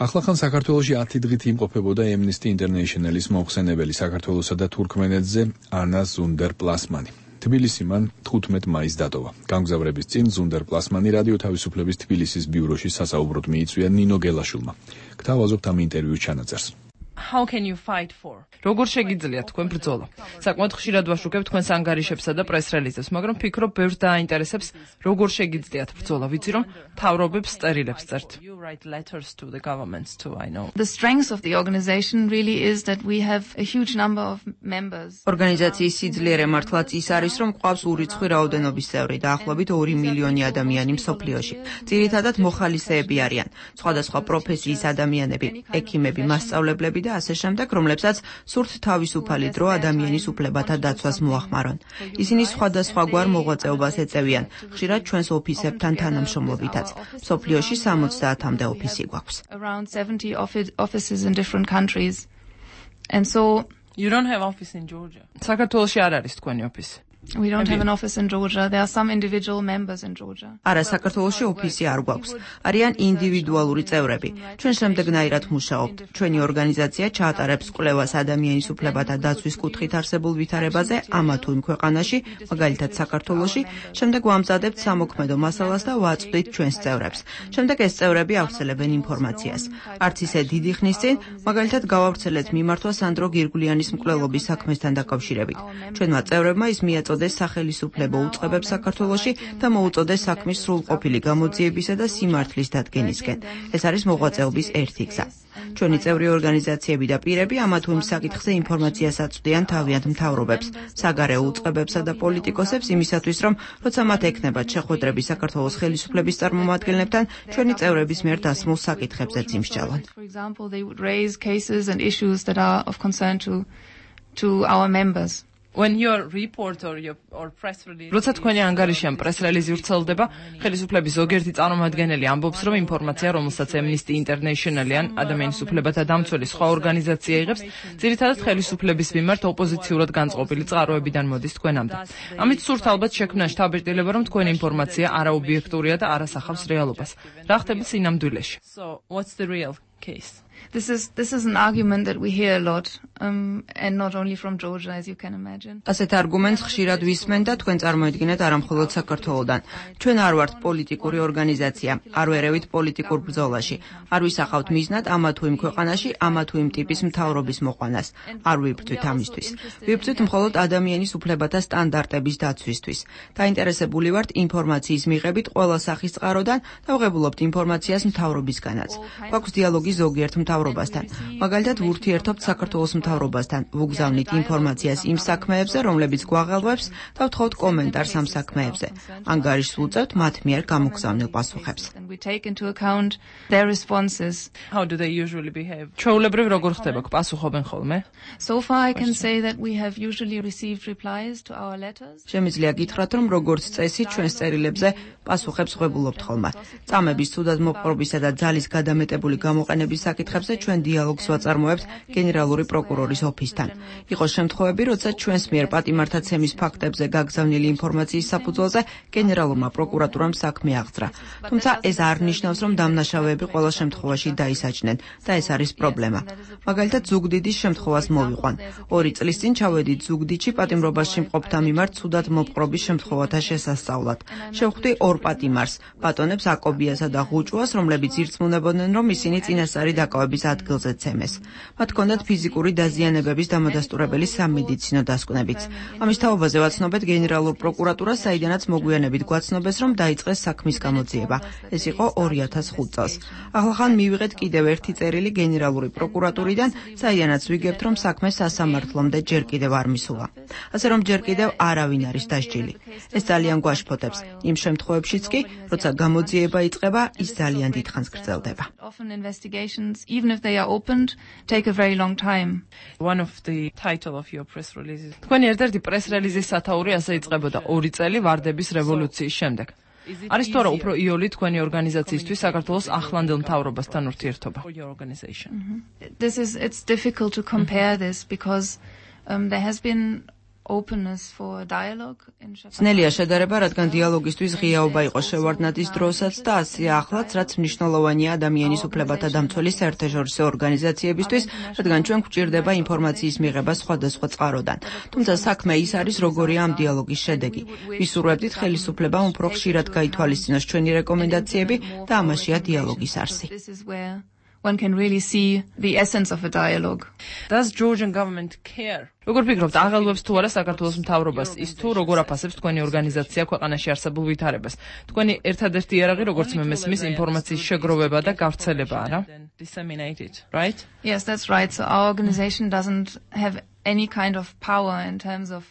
ახლახან საქართველოში 10 დღით იმყოფებოდა Amnesty International-ის მოხსენებელი საქართველოსა და თურქმენეთზე ანა ზუნდერ-პლასმანი. თბილისი მან 15 მაისს დატოვა. გამგზავრების წინ ზუნდერ-პლასმანი რადიო თავისუფლების თბილისის ბიუროში სასაუბროდ მიიწვია ნინო გელაშვილმა. გთავაზობთ ამ ინტერვიუს ჩანაწერს. How can you fight for? როგორ შეგიძლიათ თქვენ ბრძოლა? საკმაოდ ხშირად ვაშუქებ თქვენს ანგარიშებსა და პრეს-რელიზებს, მაგრამ ფიქრობ ბევრს დააინტერესებს, როგორ შეგიძლიათ ბრძოლა. ვიცი რომ თავრობებს სტერილებს წერთ. You write letters to the governments too, I know. The strength of the organization really is that we have a huge number of members. ორგანიზაციის სიძლიერე მართლაც ის არის, რომ ყავს ურიცხვი რაოდენობის წევრი, დაახლოებით 2 მილიონი ადამიანი მსოფლიოში. ძირითადად მოხალისეები არიან, სხვადასხვა პროფესიის ადამიანები, ექიმები, მასწავლებლები და ასე შემდეგ, რომლებსაც სურთ თავისუფალი დრო ადამიანის უფლებათა დაცვას მოახმარონ. ისინი სხვადასხვაგვარ მოღვაწეობას ეწევიან, ხშირად ჩვენს ოფისებთან თანამშრომლობითაც. მსოფლიოში 70-მდე ოფისი გვაქვს. Around 70 offices in different countries. And so you don't have office in Georgia. საქართველოში არ არის თქვენი ოფისი. We don't have an office in Georgia. There are some individual members in Georgia. არა, საქართველოში ოფისი არ გვაქვს. არიან ინდივიდუალური წევრები. ჩვენ შემდეგნაირად მუშაობთ. ჩვენი ორგანიზაცია ჩაატარებს კვლევას ადამიანის უფლებათა დაცვის კუთხით არსებულ ვითარებაზე ამა თუ იმ ქვეყანაში, მაგალითად საქართველოში. შემდეგ ვამზადებთ სამოქმედო მასალას და ვაწვდით ჩვენს წევრებს. შემდეგ ეს წევრები ავრცელებენ ინფორმაციას. არც ისე დიდი ხნის წინ, მაგალითად გავავრცელეთ მიმართვა სანდრო გირგვლიანის მკვლელობის საქმესთან დაკავშირებით. ჩვენმა წევრებმა ის მიაწოდეს სახელისუფლებო უწყებებს საქართველოში და მოუწოდეს საქმის სრულყოფილი გამოძიებისა და სიმართლის დადგენისკენ. ეს არის მოღვაწეობის ერთი გზა. ჩვენი წევრი ორგანიზაციები და პირები ამა თუ იმ საკითხზე ინფორმაციას აწვდიან თავიანთ მთავრობებს, საგარეო უწყებებსა და პოლიტიკოსებს იმისათვის, რომ როცა მათ ექნებათ შეხვედრები საქართველოს ხელისუფლების წარმომადგენლებთან, ჩვენი წევრების მიერ დასმულ საკითხებზეც იმსჯელონ. For example, they would raise cases and issues that are of concern to our members. When your report or press release როცა თქვენი ანგარიში ან პრეს-რელიზი ვრცელდება, ხელისუფლების ზოგიერთი წარმომადგენელი ამბობს, რომ ინფორმაცია, რომელსაც Amnesty International-ი ან ადამიანის უფლებათა დამცველი სხვა ორგანიზაცია იღებს, ძირითადად ხელისუფლების მიმართ ოპოზიციურად განწყობილი წყაროებიდან მოდის თქვენამდე. ამით სურთ ალბათ შექმნა შთაბეჭდილება, რომ თქვენი ინფორმაცია არაობიექტურია და არ ასახავს რეალობას. რა ხდება სინამდვილეში? So, what's the real case? This is an argument that we hear a lot, and not only from Georgia, as you can imagine. ასეთ არგუმენტს ხშირად ვისმენ და თქვენ წარმოიდგინეთ არა მხოლოდ საქართველოდან. ჩვენ არ ვართ პოლიტიკური ორგანიზაცია, არ ვერევით პოლიტიკურ ბრძოლაში, არ ვისახავთ მიზნად ამა თუ იმ ქვეყანაში, ამა თუ იმ ტიპის მთავრობის მოყვანას. არ ვიბრძვით ამისთვის. ვიბრძვით მხოლოდ ადამიანის უფლებათა სტანდარტების დაცვისთვის. დაინტერესებული ვართ ინფორმაციის მიღებით ყველა სახის წყაროდან და ვღებულობთ ინფორმაციას მთავრობისგანაც. გვაქვს დიალოგი ზოგიერთ მთავრობასთან. მაგალითად, ვურთიერთობთ საქართველოს მთავრობასთან, ვუგზავნით ინფორმაციას იმ საქმეებზე, რომლებიც გვაღელვებს და ვთხოვთ კომენტარს ამ საქმეებზე. ანგარიშს ვუწევთ მათ მიერ გამოგზავნილ პასუხებს. We take into account their responses. How do they usually behave? ჩვეულებრივ როგორ ხდება, პასუხობენ ხოლმე? So far I can say that we have usually received replies to our letters. შემიძლია გითხრათ, რომ როგორც წესი ჩვენს წერილებზე პასუხებს ვღებულობთ ხოლმე. წამების ცუდად მოპყრობისა და ძალის გადამეტებული გამოყენების საკითხებზე ჩვენ დიალოგს ვაწარმოებთ გენერალური პროკურორის ოფისთან. იყო შემთხვევები, როცა ჩვენს მიერ პატიმართაცემის ფაქტებზე გაგზავნილი ინფორმაციის საფუძველზე გენერალურმა პროკურატურამ საქმე აღძრა. თუმცა ეს არ ნიშნავს, რომ დამნაშავეები ყველა შემთხვევაში დაისაჯნენ და ეს არის პრობლემა. მაგალითად, ზუგდიდის შემთხვევას მოვიყვან. 2 წლის წინ ჩავედით ზუგდიდში პატიმრობაში მყოფთა მიმართ ცუდად მოპყრობის შემთხვევათა შესასწავლად. შევხვდი 2 პატიმარს, ბატონებს აკობიასა და ღუჭუას, რომლებიც ირწმუნებოდნენ, რომ ისინი წინასწარი დაკავების ადგილზე ცემეს. მათ ჰქონდათ ფიზიკური დაზიანებების დამადასტურებელი სამედიცინო დასკვნებიც. ამის თაობაზე ვაცნობეთ გენერალურ პროკურატურას, საიდანაც მოგვიანებით გვაცნობეს, რომ დაიწყეს საქმის გამოძიება. ეს იყო 2005 წელს. Ახლახან მივიღეთ კიდევ ერთი წერილი გენერალური პროკურატურიდან, საიდანაც ვიგებთ, რომ საქმე სასამართლომდე ჯერ კიდევ არ მისულა. ასე რომ ჯერ კიდევ არავინ არის დასჯილი. ეს ძალიან გვაშფოთებს. იმ შემთხვევებშიც კი, როცა გამოძიება იწყება, ის ძალიან დიდხანს გრძელდება. Often investigations, even if they are opened, take a very long time. One of the title of your press release. თქვენი ერთ-ერთი press release-ის სათაური ასე იწყებოდა 2 წელი ვარდების რევოლუციის შემდეგ. არის თუ არა უფრო იოლი თქვენი ორგანიზაციისთვის საქართველოს ახლანდელ მთავრობასთან ურთიერთობა? It's difficult to compare this because there has been openness for dialogue in ძნელია შედარება, რადგან დიალოგისთვის ღიაობა იყო შევარდნაძის დროსაც და ასეა ახლაც, რაც მნიშვნელოვანია ადამიანის უფლებათა დამცველი საერთაშორისო ორგანიზაციებისთვის, რადგან ჩვენ გვჭირდება ინფორმაციის მიღება სხვადასხვა წყაროდან. თუმცა საქმე ის არის, როგორია ამ დიალოგის შედეგი. ვისურვებდით ხელისუფლებამ უფრო ხშირად გაითვალისწინოს ჩვენი რეკომენდაციები და ამაშია დიალოგის არსი. One can really see the essence of a dialogue. Does Georgian government care? როგორ ფიქრობთ, აღელვებს თუ არა საქართველოს მთავრობას ის თუ როგორ აფასებს თქვენი ორგანიზაცია ქვეყანაში არსებულ ვითარებას? თქვენი ერთადერთი იარაღი, როგორც მე მესმის, ინფორმაციის შეგროვება და გავრცელება, არა? Right? Yes, that's right. So our organization doesn't have any kind of power in terms of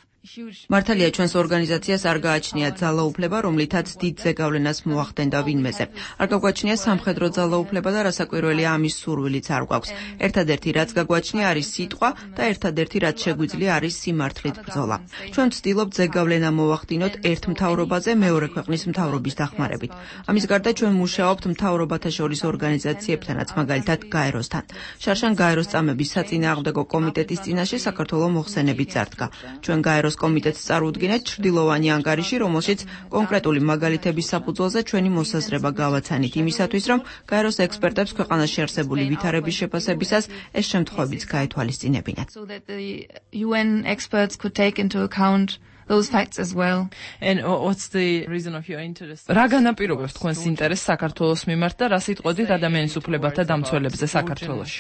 მართალია ჩვენს ორგანიზაციას არ გააჩნია ძალაუფლება, რომლითაც დიდ ზეგავლენას მოახდენდა ვინმეზე. არ გაგვაჩნია სამხედრო ძალაუფლება და რასაკვირველია ამის სურვილიც არ გვაქვს. ერთადერთი რაც გაგვაჩნია არის სიტყვა და ერთადერთი რაც შეგვიძლია არის სიმართლით ბრძოლა. ჩვენ ვცდილობთ ზეგავლენა მოვახდინოთ ერთ მთავრობაზე მეორე ქვეყნის მთავრობის დახმარებით. ამის გარდა ჩვენ მუშაობთ მთავრობათა შორის ორგანიზაციებთანაც, მაგალითად გაეროსთან. შარშან გაეროს წამების საწინააღმდეგო კომიტეტის წინაშე საქართველოს მოხსენებით წარდგა. ჩვენ გაეროს კომიტეტს წარუდგინეთ ჩრდილოვანი ანგარიში, რომელშიც კონკრეტული მაგალითების საფუძველზე ჩვენი მოსაზრება გავაცანით იმისათვის, რომ გაეროს ექსპერტებს ქვეყანაში არსებული ვითარების შეფასებისას ეს შემთხვევებიც გაეთვალისწინებინათ. So that the UN experts could take into account those facts as well. And what's the reason of your interest? რა განაპირობებს თქვენს ინტერესს საქართველოს მიმართ და რა სიტყვებით ადამიანის უფლებათა დამცველებზე საქართველოში?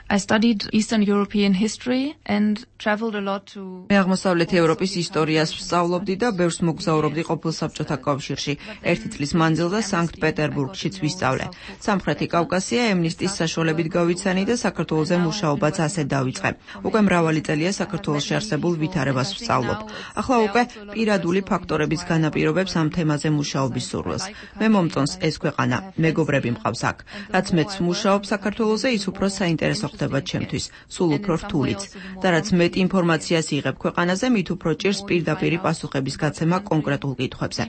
I studied Eastern European history and traveled a lot to მე აღმოსავლეთი ევროპის ისტორიას ვსწავლობდი და ბევრს მოგზაურობდი ყოფილ საბჭოთა კავშირში. ერთი წლის მანძილზე სანქტ-პეტერბურგშიც ვისწავლე. სამხრეთი კავკასია ემნისტის საშუალებით გავიცანი და საქართველოზე მუშაობაც ასე დავიწყე. უკვე მრავალი წელია საქართველოში არსებულ ვითარებას ვსწავლობ. ახლა უკვე პირადული ფაქტორების განაპირობებს ამ თემაზე მუშაობის სურვილს. მე მომწონს ეს ქვეყანა, მეგობრები მყავს აქ. რაც მეც მუშაობ საქართველოზე, ის უფრო საინტერესო ხდება ჩემთვის, სულ უფრო რთულიც. და რაც მეტ ინფორმაციას იღებ ქვეყანაზე, მით უფრო ჭირს პირდაპირი პასუხების გაცემა კონკრეტულ კითხვებზე.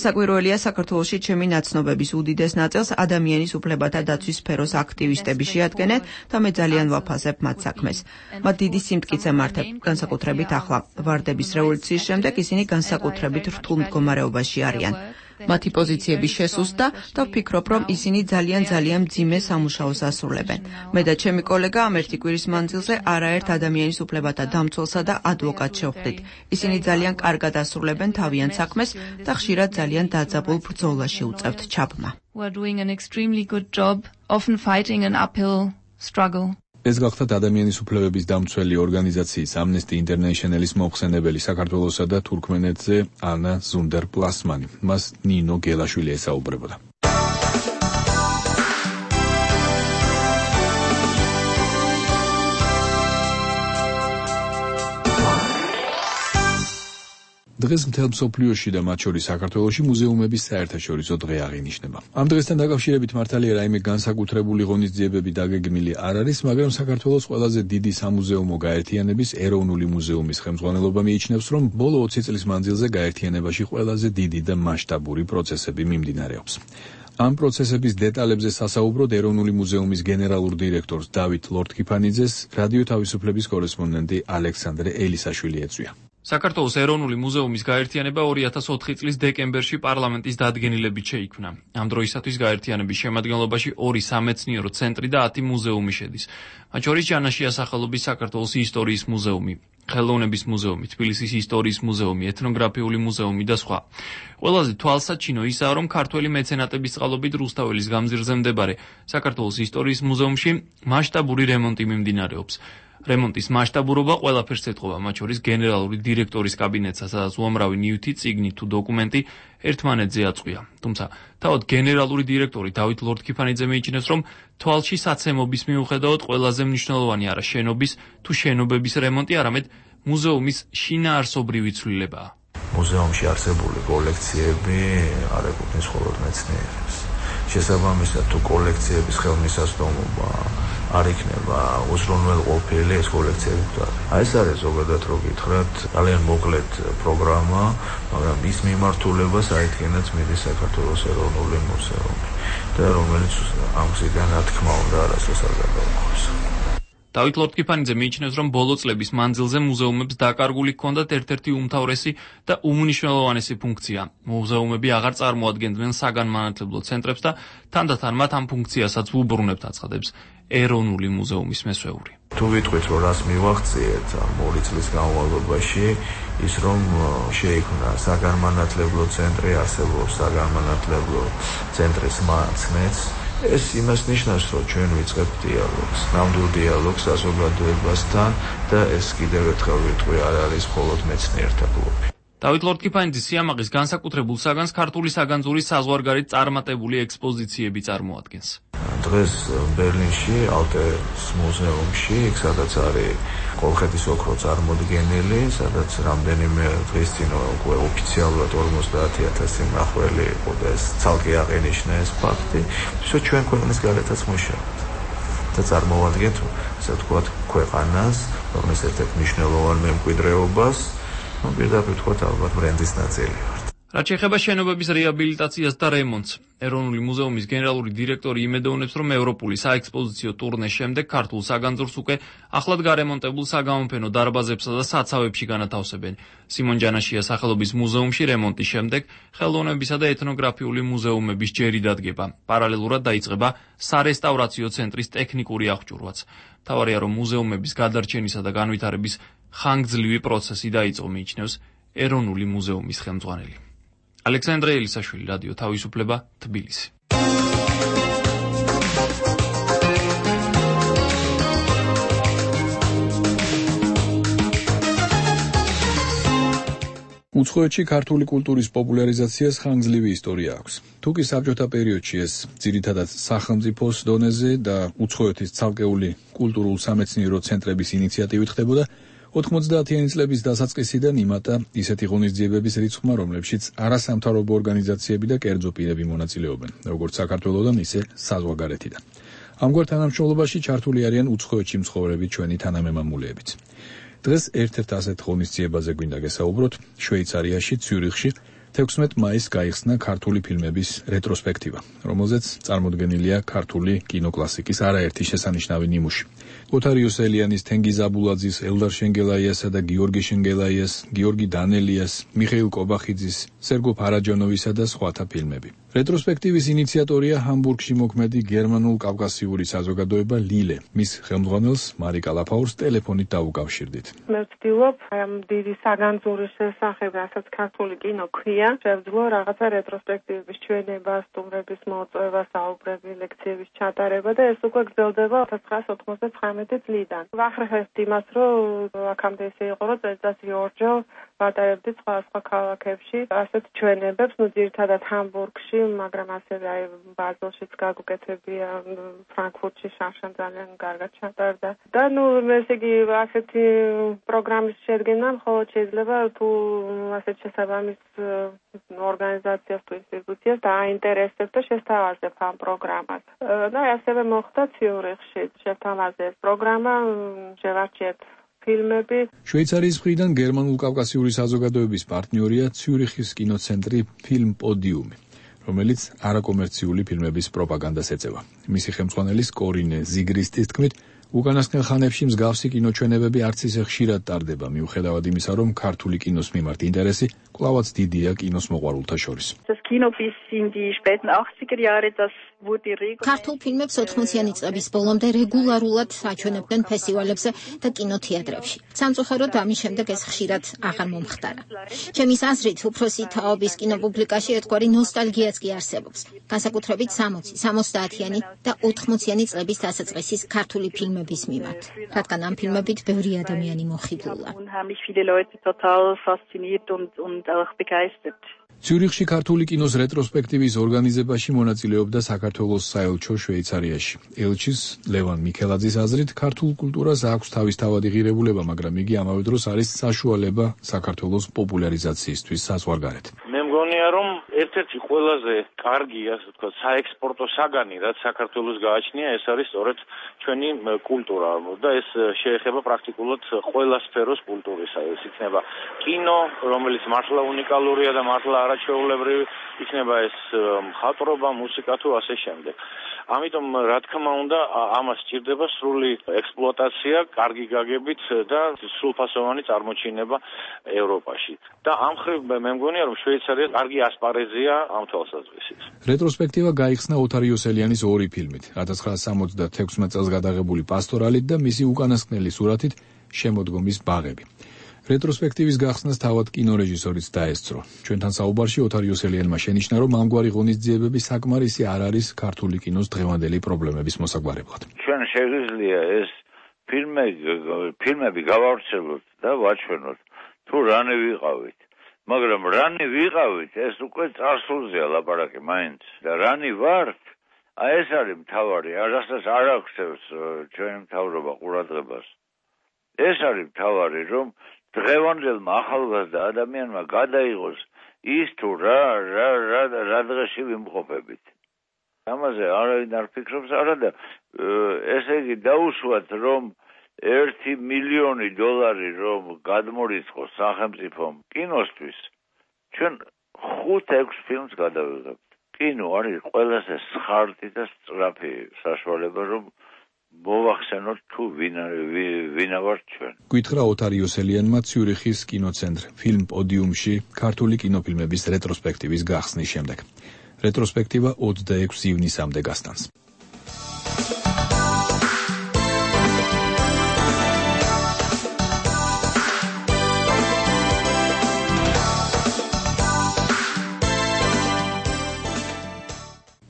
საკვირველია, საქართველოში ჩემი ნაცნობების უდიდეს ნაწილს ადამიანის უფლებათა დაცვის სფეროს აქტივისტები შეადგენენ და მე ძალიან ვაფასებ მათ საქმეს. მათ დიდი სიმტკიცე მართებ, განსაკუთრებით ახლა ვარდების რევოლუციის შემდეგ ისინი განსაკუთრებით რთულ მდგომარეობაში არიან. მათი პოზიციები შესუსტდა და ვფიქრობ, რომ ისინი ძალიან მძიმე სამუშაოს ასრულებენ. მე და ჩემი კოლეგა ამ ერთი კვირის მანძილზე არაერთ ადამიანის უფლებათა დამცველსა და ადვოკატს შევხვდით. ისინი ძალიან კარგად ასრულებენ თავიანთ საქმეს და ხშირად ძალიან დაძაბულ ბრძოლაში უწევთ ჩაბმა. We are doing an extremely good job, often fighting an uphill struggle. ეს გახდათ ადამიანის უფლებების დამცველი ორგანიზაციის Amnesty International-ის მოხსენებელი საქართველოსა და თურქმენეთზე ანა ზუნდერ-პლასმანი. მას ნინო გელაშვილი ესაუბრებოდა. დღეს მთელ მსოფლიოში და მათ შორის საქართველოში მუზეუმების საერთაშორისო დღე აღინიშნება. ამ დღესთან დაკავშირებით მართალია რაიმე განსაკუთრებული ღონისძიებები დაგეგმილი არ არის, მაგრამ საქართველოს ყველაზე დიდი სამუზეუმო გაერთიანების ეროვნული მუზეუმის ხელმძღვანელობა მიიჩნევს, რომ ბოლო 20 წლის მანძილზე გაერთიანებაში ყველაზე დიდი და მასშტაბური პროცესები მიმდინარეობს. ამ პროცესების დეტალებზე სასაუბროდ ეროვნული მუზეუმის გენერალურ დირექტორს დავით ლორთქიფანიძეს რადიო თავისუფლების კორესპონდენტი ალექსანდრე ელისაშვილი ეწვია. საქართველოს ეროვნული მუზეუმის გაერთიანება 2004 წლის დეკემბერში პარლამენტის დადგენილებით შეიქმნა. ამ დროისათვის გაერთიანების შემადგენლობაში 2 სამეცნიერო ცენტრი და 10 მუზეუმი შედის. მათ შორის ჯანაშია სახელობის საქართველოს ისტორიის მუზეუმი, ხელოვნების მუზეუმი, თბილისის ისტორიის მუზეუმი, ეთნოგრაფიული მუზეუმი და სხვა. ყველაზე თვალსაჩინო ისაა, რომ ქართველი მეცენატების წყალობით რუსთაველის გამზირზე მდებარე საქართველოს ისტორიის მუზეუმში მასშტაბური რემონტი მიმდინარეობს. რემონტის მასშტაბურობა ყველაფერს ეთყობა, მათ შორის გენერალური დირექტორის კაბინეტსა, სადაც უამრავი ნივთი, წიგნი თუ დოკუმენტი ერთმანეთზე აწყვია. თუმცა, თავად გენერალური დირექტორი დავით ლორდ-ქიფანიძე მიიჩნევს, რომ თვალში საცემობის მიუხედავად ყველაზე მნიშვნელოვანი არა შენობის თუ შენობების რემონტი, არამედ მუზეუმის შინაარსობრივი ცვლილებაა. მუზეუმში არსებული კოლექციები არ ეკუთვნის მხოლოდ მეცნიერებს. შესაბამისად, თუ კოლექციების ხელმისაწვდომობა არ იქნება უზრუნველყოფილი, ეს კოლექციები გვდარ. ეს არის ზოგადად რო გითხრათ, ძალიან მოკლედ პროგრამა, მაგრამ ის მიმართულებას აიდგენაც მიდის საქართველოს ეროვნული მუზეუმი და რომელიც ამ გზიდან რა თქმა უნდა არასდროს არ გადაუხოს. დავით ლორდ-ქიფანიძე მიიჩნევს, რომ ბოლო წლების მანძილზე მუზეუმებს დაკარგული ჰქონდათ ერთ-ერთი უმთავრესი და უმნიშვნელოვანესი ფუნქცია. მუზეუმები აღარ წარმოადგენდნენ საგანმანათლებლო ცენტრებს და თანდათან მათ ამ ფუნქციასაც უბრუნებთ, აცხადებს ეროვნული მუზეუმის მესვეული. თუ ვიტყვით, რომ რას მივახციეთ ამ 2 წლის განმავლობაში, ის რომ შეიქმნა საგანმანათლებლო ცენტრი, არსებობს საგანმანათლებლო ცენტრის მაცნეც. ეს იმას ნიშნავს, რომ ჩვენ ვიწყებთ დიალოგს, ნამდვილ დიალოგს საზოგადოებასთან და ეს კიდევ ერთხელ ვიტყვი, არ არის მხოლოდ მეცნიერთა ბლოკი. დავით ლორდ-ქიფანიძის სიამაყის განსაკუთრებულ საგანს ქართული საგანძურის საზღვარგარეთ წარმატებული ექსპოზიციები წარმოადგენს. დღეს ბერლინში, ალტეს მუზეუმში, იქ სადაც არის კოლხეთის ოქრო წარმოდგენილი, სადაც რამდენიმე დღის წინ უკვე ოფიციალურად 50,000 მნახველი იყო და ეს ცალკე აღენიშნა ეს ფაქტი. ისე ჩვენ ქვეყნის გარეთაც მუშაობთ და წარმოვადგენთ, ასე ვთქვათ, ქვეყანას, რომლის ერთ-ერთ მნიშვნელოვან მემკვიდრეობას, პირდაპირ ვთქვათ, ალბათ ბრენდის ნაწილი ვართ. რაც შეეხება შენობების რეაბილიტაციას და რემონტს, ეროვნული მუზეუმის გენერალური დირექტორი იმედოვნებს, რომ ევროპული საექსპოზიციო ტურნეს შემდეგ ქართულ საგანძურს უკვე ახლად გარემონტებულ საგამოფენო დარბაზებსა და საცავებში განათავსებენ. სიმონ ჯანაშიას სახელობის მუზეუმში რემონტის შემდეგ ხელოვნებისა და ეთნოგრაფიული მუზეუმების ჯერი დადგება. პარალელურად დაიწყება სარესტავრაციო ცენტრის ტექნიკური აღჭურვაც. მთავარია, რომ მუზეუმების გადარჩენისა და განვითარების ხანგრძლივი პროცესი დაიწყო, მიიჩნევს ეროვნული მუზეუმის ხელმძღვანელი. ალექსანდრე ელისაშვილი, რადიო თავისუფლება, თბილისი. უცხოეთში ქართული კულტურის პოპულარიზაციას ხანგრძლივი ისტორია აქვს. თუკი საბჭოთა პერიოდში ეს ძირითადად სახელმწიფოს დონეზე და უცხოეთის ცალკეული კულტურულ-სამეცნიერო ცენტრების ინიციატივით ხდებოდა, 90-იანი წლების დასაწყისიდან იმატა ისეთი ღონისძიებების რიცხვმა, რომლებშიც არასამთავრობო ორგანიზაციები და კერძო პირები მონაწილეობენ, როგორც საქართველოდან, ისე საზღვარგარეთიდან. ამგვარ თანამშრომლობაში ჩართული არიან უცხოეთში მცხოვრები ჩვენი თანამემამულეებიც. დღეს ერთ-ერთ ასეთ ღონისძიებაზე გვინდა გესაუბროთ. შვეიცარიაში, ციურიხში 16 მაისს გაიხსნა ქართული ფილმების რეტროსპექტივა, რომელზეც წარმოდგენილია ქართული კინოკლასიკის არაერთი შესანიშნავი ნიმუში. ოთარიოს ელიანის, თენგიზ აბულაძის, ელდარ შენგელაიასა და გიორგი შენგელაიას, გიორგი დანელიას, მიხეილ კობახიძის, სერგო ფარაჯანოვისა და სხვათა ფილმები. რეტროსპექტივის ინიციატორია ჰამბურგში მოქმედი გერმანულ-კავკასიური საზოგადოება ლილე. მის ხელმძღვანელს მარიკა ლაფაურს ტელეფონით დაუკავშირდით. მე ვცდილობ ამ დიდი საგანძურის შესახებ, რასაც ქართული კინო ქვია, შევძლო რაღაცა რეტროსპექტივების ჩვენება, სტუმრების მოწვევა, საუბრები, ლექციების ჩატარება და ეს უკვე გრძელდება 1999 წლიდან. ვახრეხებთ იმას, რომ აქამდე ისე იყო, რომ წელიწადში ორჯერ ვატარებდით სხვა ქალაქებში ასეთ ჩვენებებს, ძირითადად ჰამბურგში, მაგრამ ასევე აი ბაზელშიც გაგუკეთებია, ფრანკფურტში შანშან ძალიან კარგად ჩატარდა. და ესე იგი ასეთი პროგრამის შედგენა მხოლოდ შეიძლება თუ ასეთ შესაბამის ორგანიზაციას თუ ინსტიტუციას დააინტერესებს და შესთავაზებ ამ პროგრამას. და ასევე მოხდა ციურიხში, შეთავაზეს პროგრამა, შევარჩიეთ ფილმები. შვეიცარიის მხრიდან გერმანულ-კავკასიური საზოგადოების პარტნიორია ციურიხის კინოცენტრი ფილმ პოდიუმი, რომელიც არაკომერციული ფილმების პროპაგანდას ეწევა. მისი ხელმძღვანელის კორინე ზიგრისტის თქმით, უკანასკნელ ხანებში მსგავსი კინოჩვენებები არც ისე ხშირად ტარდება, მიუხედავად იმისა, რომ ქართული კინოს მიმართ ინტერესი კვლავაც დიდია კინოს მოყვარულთა შორის. Das Kino bis in die späten 80er Jahre, das ქართულ ფილმებს 80-იანი წლების ბოლომდე რეგულარულად აჩვენებდნენ ფესტივალებზე და კინოთეატრებში. სამწუხაროდ ამის შემდეგ ეს ხშირად აღარ მომხდარა. ჩემის აზრით, უფროსი თაობის კინოპუბლიკაში ერთგვარი ნოსტალგიაც კი არსებობს. განსაკუთრებით 60, 70-იანი და 80-იანი წლების დასაწყისის ქართული ფილმების მიმართ, რადგან ამ ფილმებით ბევრი ადამიანი მოხიბლულა. ციურიხში ქართული კინოს რეტროსპექტივის ორგანიზებაში მონაწილეობდა საქართველოს საელჩო შვეიცარიაში. ელჩის ლევან მიქელაძის აზრით, ქართულ კულტურას აქვს თავისთავადი ღირებულება, მაგრამ იგი ამავე დროს არის საშუალება საქართველოს პოპულარიზაციისთვის საზღვარგარეთ. მე მგონია, რომ ერთ-ერთი ყველაზე კარგი, ასე ვთქვათ, საექსპორტო საგანი, რაც საქართველოს გააჩნია, ეს არის სწორედ ჩვენი კულტურა და ეს შეეხება პრაქტიკულად ყველა სფეროს კულტურისა. ეს იქნება კინო, რომელიც მართლა უნიკალურია და მართლა არაჩვეულებრივი, იქნება ეს მხატვრობა, მუსიკა თუ ასე შემდეგ. ამიტომ რა თქმა უნდა, ამას სჭირდება სრული ექსპლუატაცია, კარგი გაგებით და სრულფასოვანი წარმოჩინება ევროპაში. და ამ მხრივ მე მგონია, რომ შვეიცარია კარგი ასპარეზია ამ თვალსაზრისით. რეტროსპექტივა გაიხსნა ოთარ იოსელიანის ორი ფილმით, 1976 წელს გადაღებული პასტორალით და მისი უკანასკნელი სურათით შემოდგომის ბაღები. რეტროსპექტივის გახსნას თავად კინორეჟისორიც დაესწრო. ჩვენთან საუბარში ოთარ იოსელიანმა შენიშნა, რომ ამგვარი ღონისძიებები საკმარისი არ არის ქართული კინოს დღევანდელი პრობლემების მოსაგვარებლად. ჩვენ შეგვიძლია ეს ფილმები გავავრცელოთ და ვაჩვენოთ, თუ რანი ვიყავით. მაგრამ რანი ვიყავით, ეს უკვე წარსულზეა ლაპარაკი მაინც. და რანი ვართ, ეს არის მთავარი, რასაც არ აღწევს ჩვენი მთავრობა ყურადღებას. ეს არის მთავარი, რომ დღევანდელმა ახალგაზრდა ადამიანმა გადაიღოს ის თუ რა დღეში ვიმყოფებით. ამაზე არავინ არ ფიქრობს, არადა ესე იგი დაუშვათ, რომ $1 მილიონი რომ გადმორიცხოს სახელმწიფომ კინოსთვის, ჩვენ 5-6 ფილმს გადავიღებთ. კინო არის ყველაზე სხარტი და სწრაფი საშუალება, რომ მოვახსენოთ თუ ვინა ვართ ჩვენ. გითხრა ოთარ იოსელიანმა ციურიხის კინოცენტრ ფილმ პოდიუმში ქართული კინოფილმების რეტროსპექტივის გახსნის შემდეგ. რეტროსპექტივა 26 ივნისამდე გასტანს.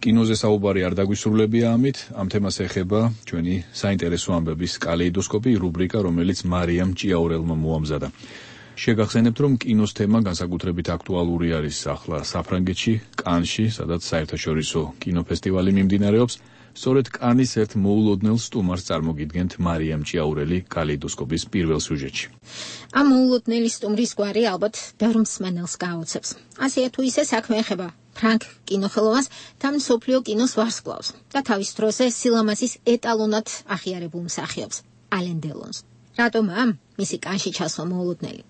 კინოზე საუბარი არ დაგვისრულებია ამით, ამ თემას ეხება ჩვენი საინტერესო ამბების კალეიდოსკოპი რუბრიკა, რომელიც მარიამ ჭიაურელმა მოამზადა. შეგახსენებთ, რომ კინოს თემა განსაკუთრებით აქტუალური არის ახლა საფრანგეთში, კანში, სადაც საერთაშორისო კინოფესტივალი მიმდინარეობს. სწორედ კანის ერთ მოულოდნელ სტუმარს წარმოგიდგენთ მარიამ ჭიაურელი კალეიდოსკოპის პირველ სიუჟეტში. ამ მოულოდნელი სტუმრის გვარი ალბათ ბევრ მსმენელს გააოცებს. ასეა თუ ისე საქმე ეხება ფრანგ კინოხელოვანს და მსოფლიო კინოს ვარსკვლავს და თავის დროზე სილამაზის ეტალონად აღიარებულ მსახიობს ალენ დელონს. რატომ მისი კანში ჩასვლა მოულოდნელი?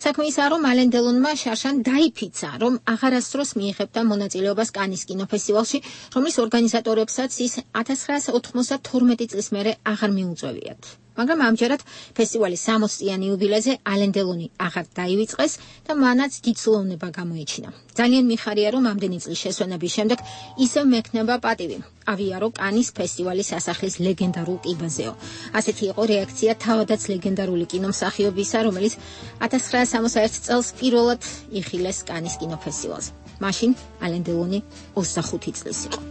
საქმე ისაა, რომ ალენ დელონმა შარშან დაიფიცა, რომ აღარასდროს მიიღებდა მონაწილეობას კანის კინოფესტივალში, რომლის ორგანიზატორებსაც ის 1992 წლის მერე აღარ მიუწევიათ. მაგრამ ამჯერად ფესტივალის 60-იანი იუბილეზე ალენ დელონი აღარ დაივიწყეს და მანაც დიდსულოვნება გამოიჩინა. ძალიან მიხარია, რომ ამდენი წლის შესვენების შემდეგ ისევ მექნება პატივი ავიარო კანის ფესტივალის სასახლის ლეგენდარულ კიბაზეო. ასეთი იყო რეაქცია თავადაც ლეგენდარული კინომსახიობისა, რომელიც 1961 წელს პირველად იხილეს კანის კინოფესტივალზე. მაშინ ალენ დელონი 25 წლის იყო.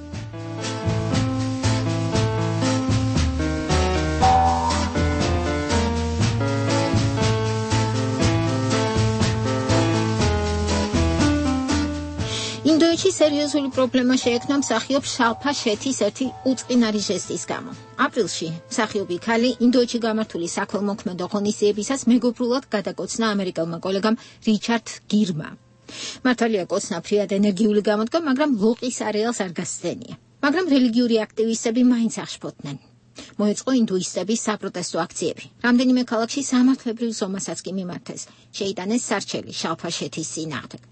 ინდოეთში სერიოზული პრობლემა შეექმნა მსახიობ შალფა შეთის ერთი უწყინარი ჟესტის გამო. აპრილში მსახიობი ქალი ინდოეთში გამართული საქველმოქმედო ღონისძიებისას მეგობრულად გადაკოცნა ამერიკელმა კოლეგამ რიჩარდ გირმა. მართალია კოცნა ფრიად ენერგიული გამოდგა, მაგრამ ლოყის არეალს არ გასცდენია. მაგრამ რელიგიური აქტივისტები მაინც აღშფოთდნენ. მოეწყო ინდუისტების საპროტესტო აქციები. რამდენიმე ქალაქში სამართლებრივ ზომასაც კი მიმართეს. შეიტანეს სარჩელი შალფა შეთის წინააღმდეგ.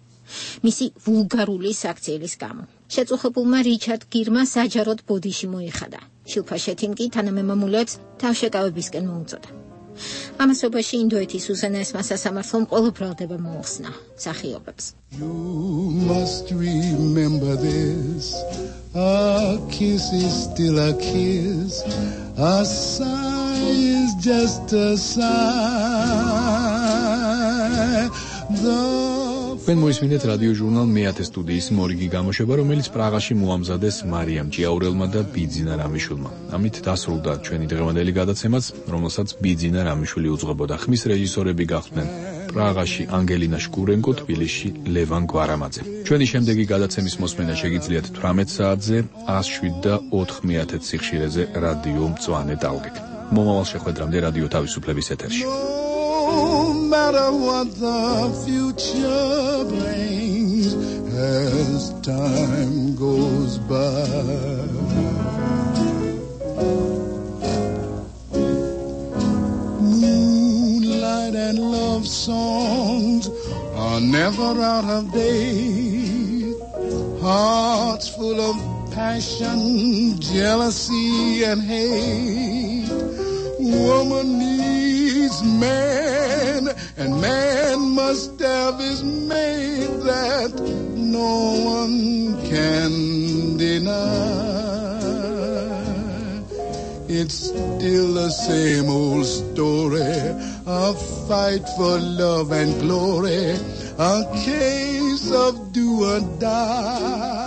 მისი ვულგარული საქციელის გამო. შეწუხებულმა რიჩარდ გირმა საჯაროდ ბოდიში მოიხადა. შილფა შეთიმ კი თანამემამულეებს თავშეკავებისკენ მოუწოდა. ამასობაში ინდოეთის უზენაესმა სასამართლომ ყველა ბრალდება მოუხსნა მსახიობებს. You must remember this. A kiss is still a kiss. A sigh is just a sigh. თქვენ მოისმინეთ რადიო ჟურნალ მეათე სტუდიის მორიგი გამოშვება, რომელიც პრაღაში მოამზადეს მარიამ ჭიაურელმა და ბიძინა რამიშვილმა. ამით დასრულდა ჩვენი დღევანდელი გადაცემაც, რომელსაც ბიძინა რამიშვილი უძღვებოდა. ხმის რეჟისორები გახდნენ პრაღაში ანგელინა შკურენკო, თბილისში ლევან გვარამაძე. ჩვენი შემდეგი გადაცემის მოსმენა შეგიძლიათ 18 საათზე 107 მეათე სიხშირეზე რადიო მწვანე ტალღით. მომავალ შეხვედრამდე რადიო თავისუფლების ეთერში. No matter what the future brings as time goes by. Moonlight and love songs are never out of date. Hearts full of passion, jealousy and hate. Woman needs man, and man must have his mate that no one can deny. It's still the same old story, a fight for love and glory, a case of do or die.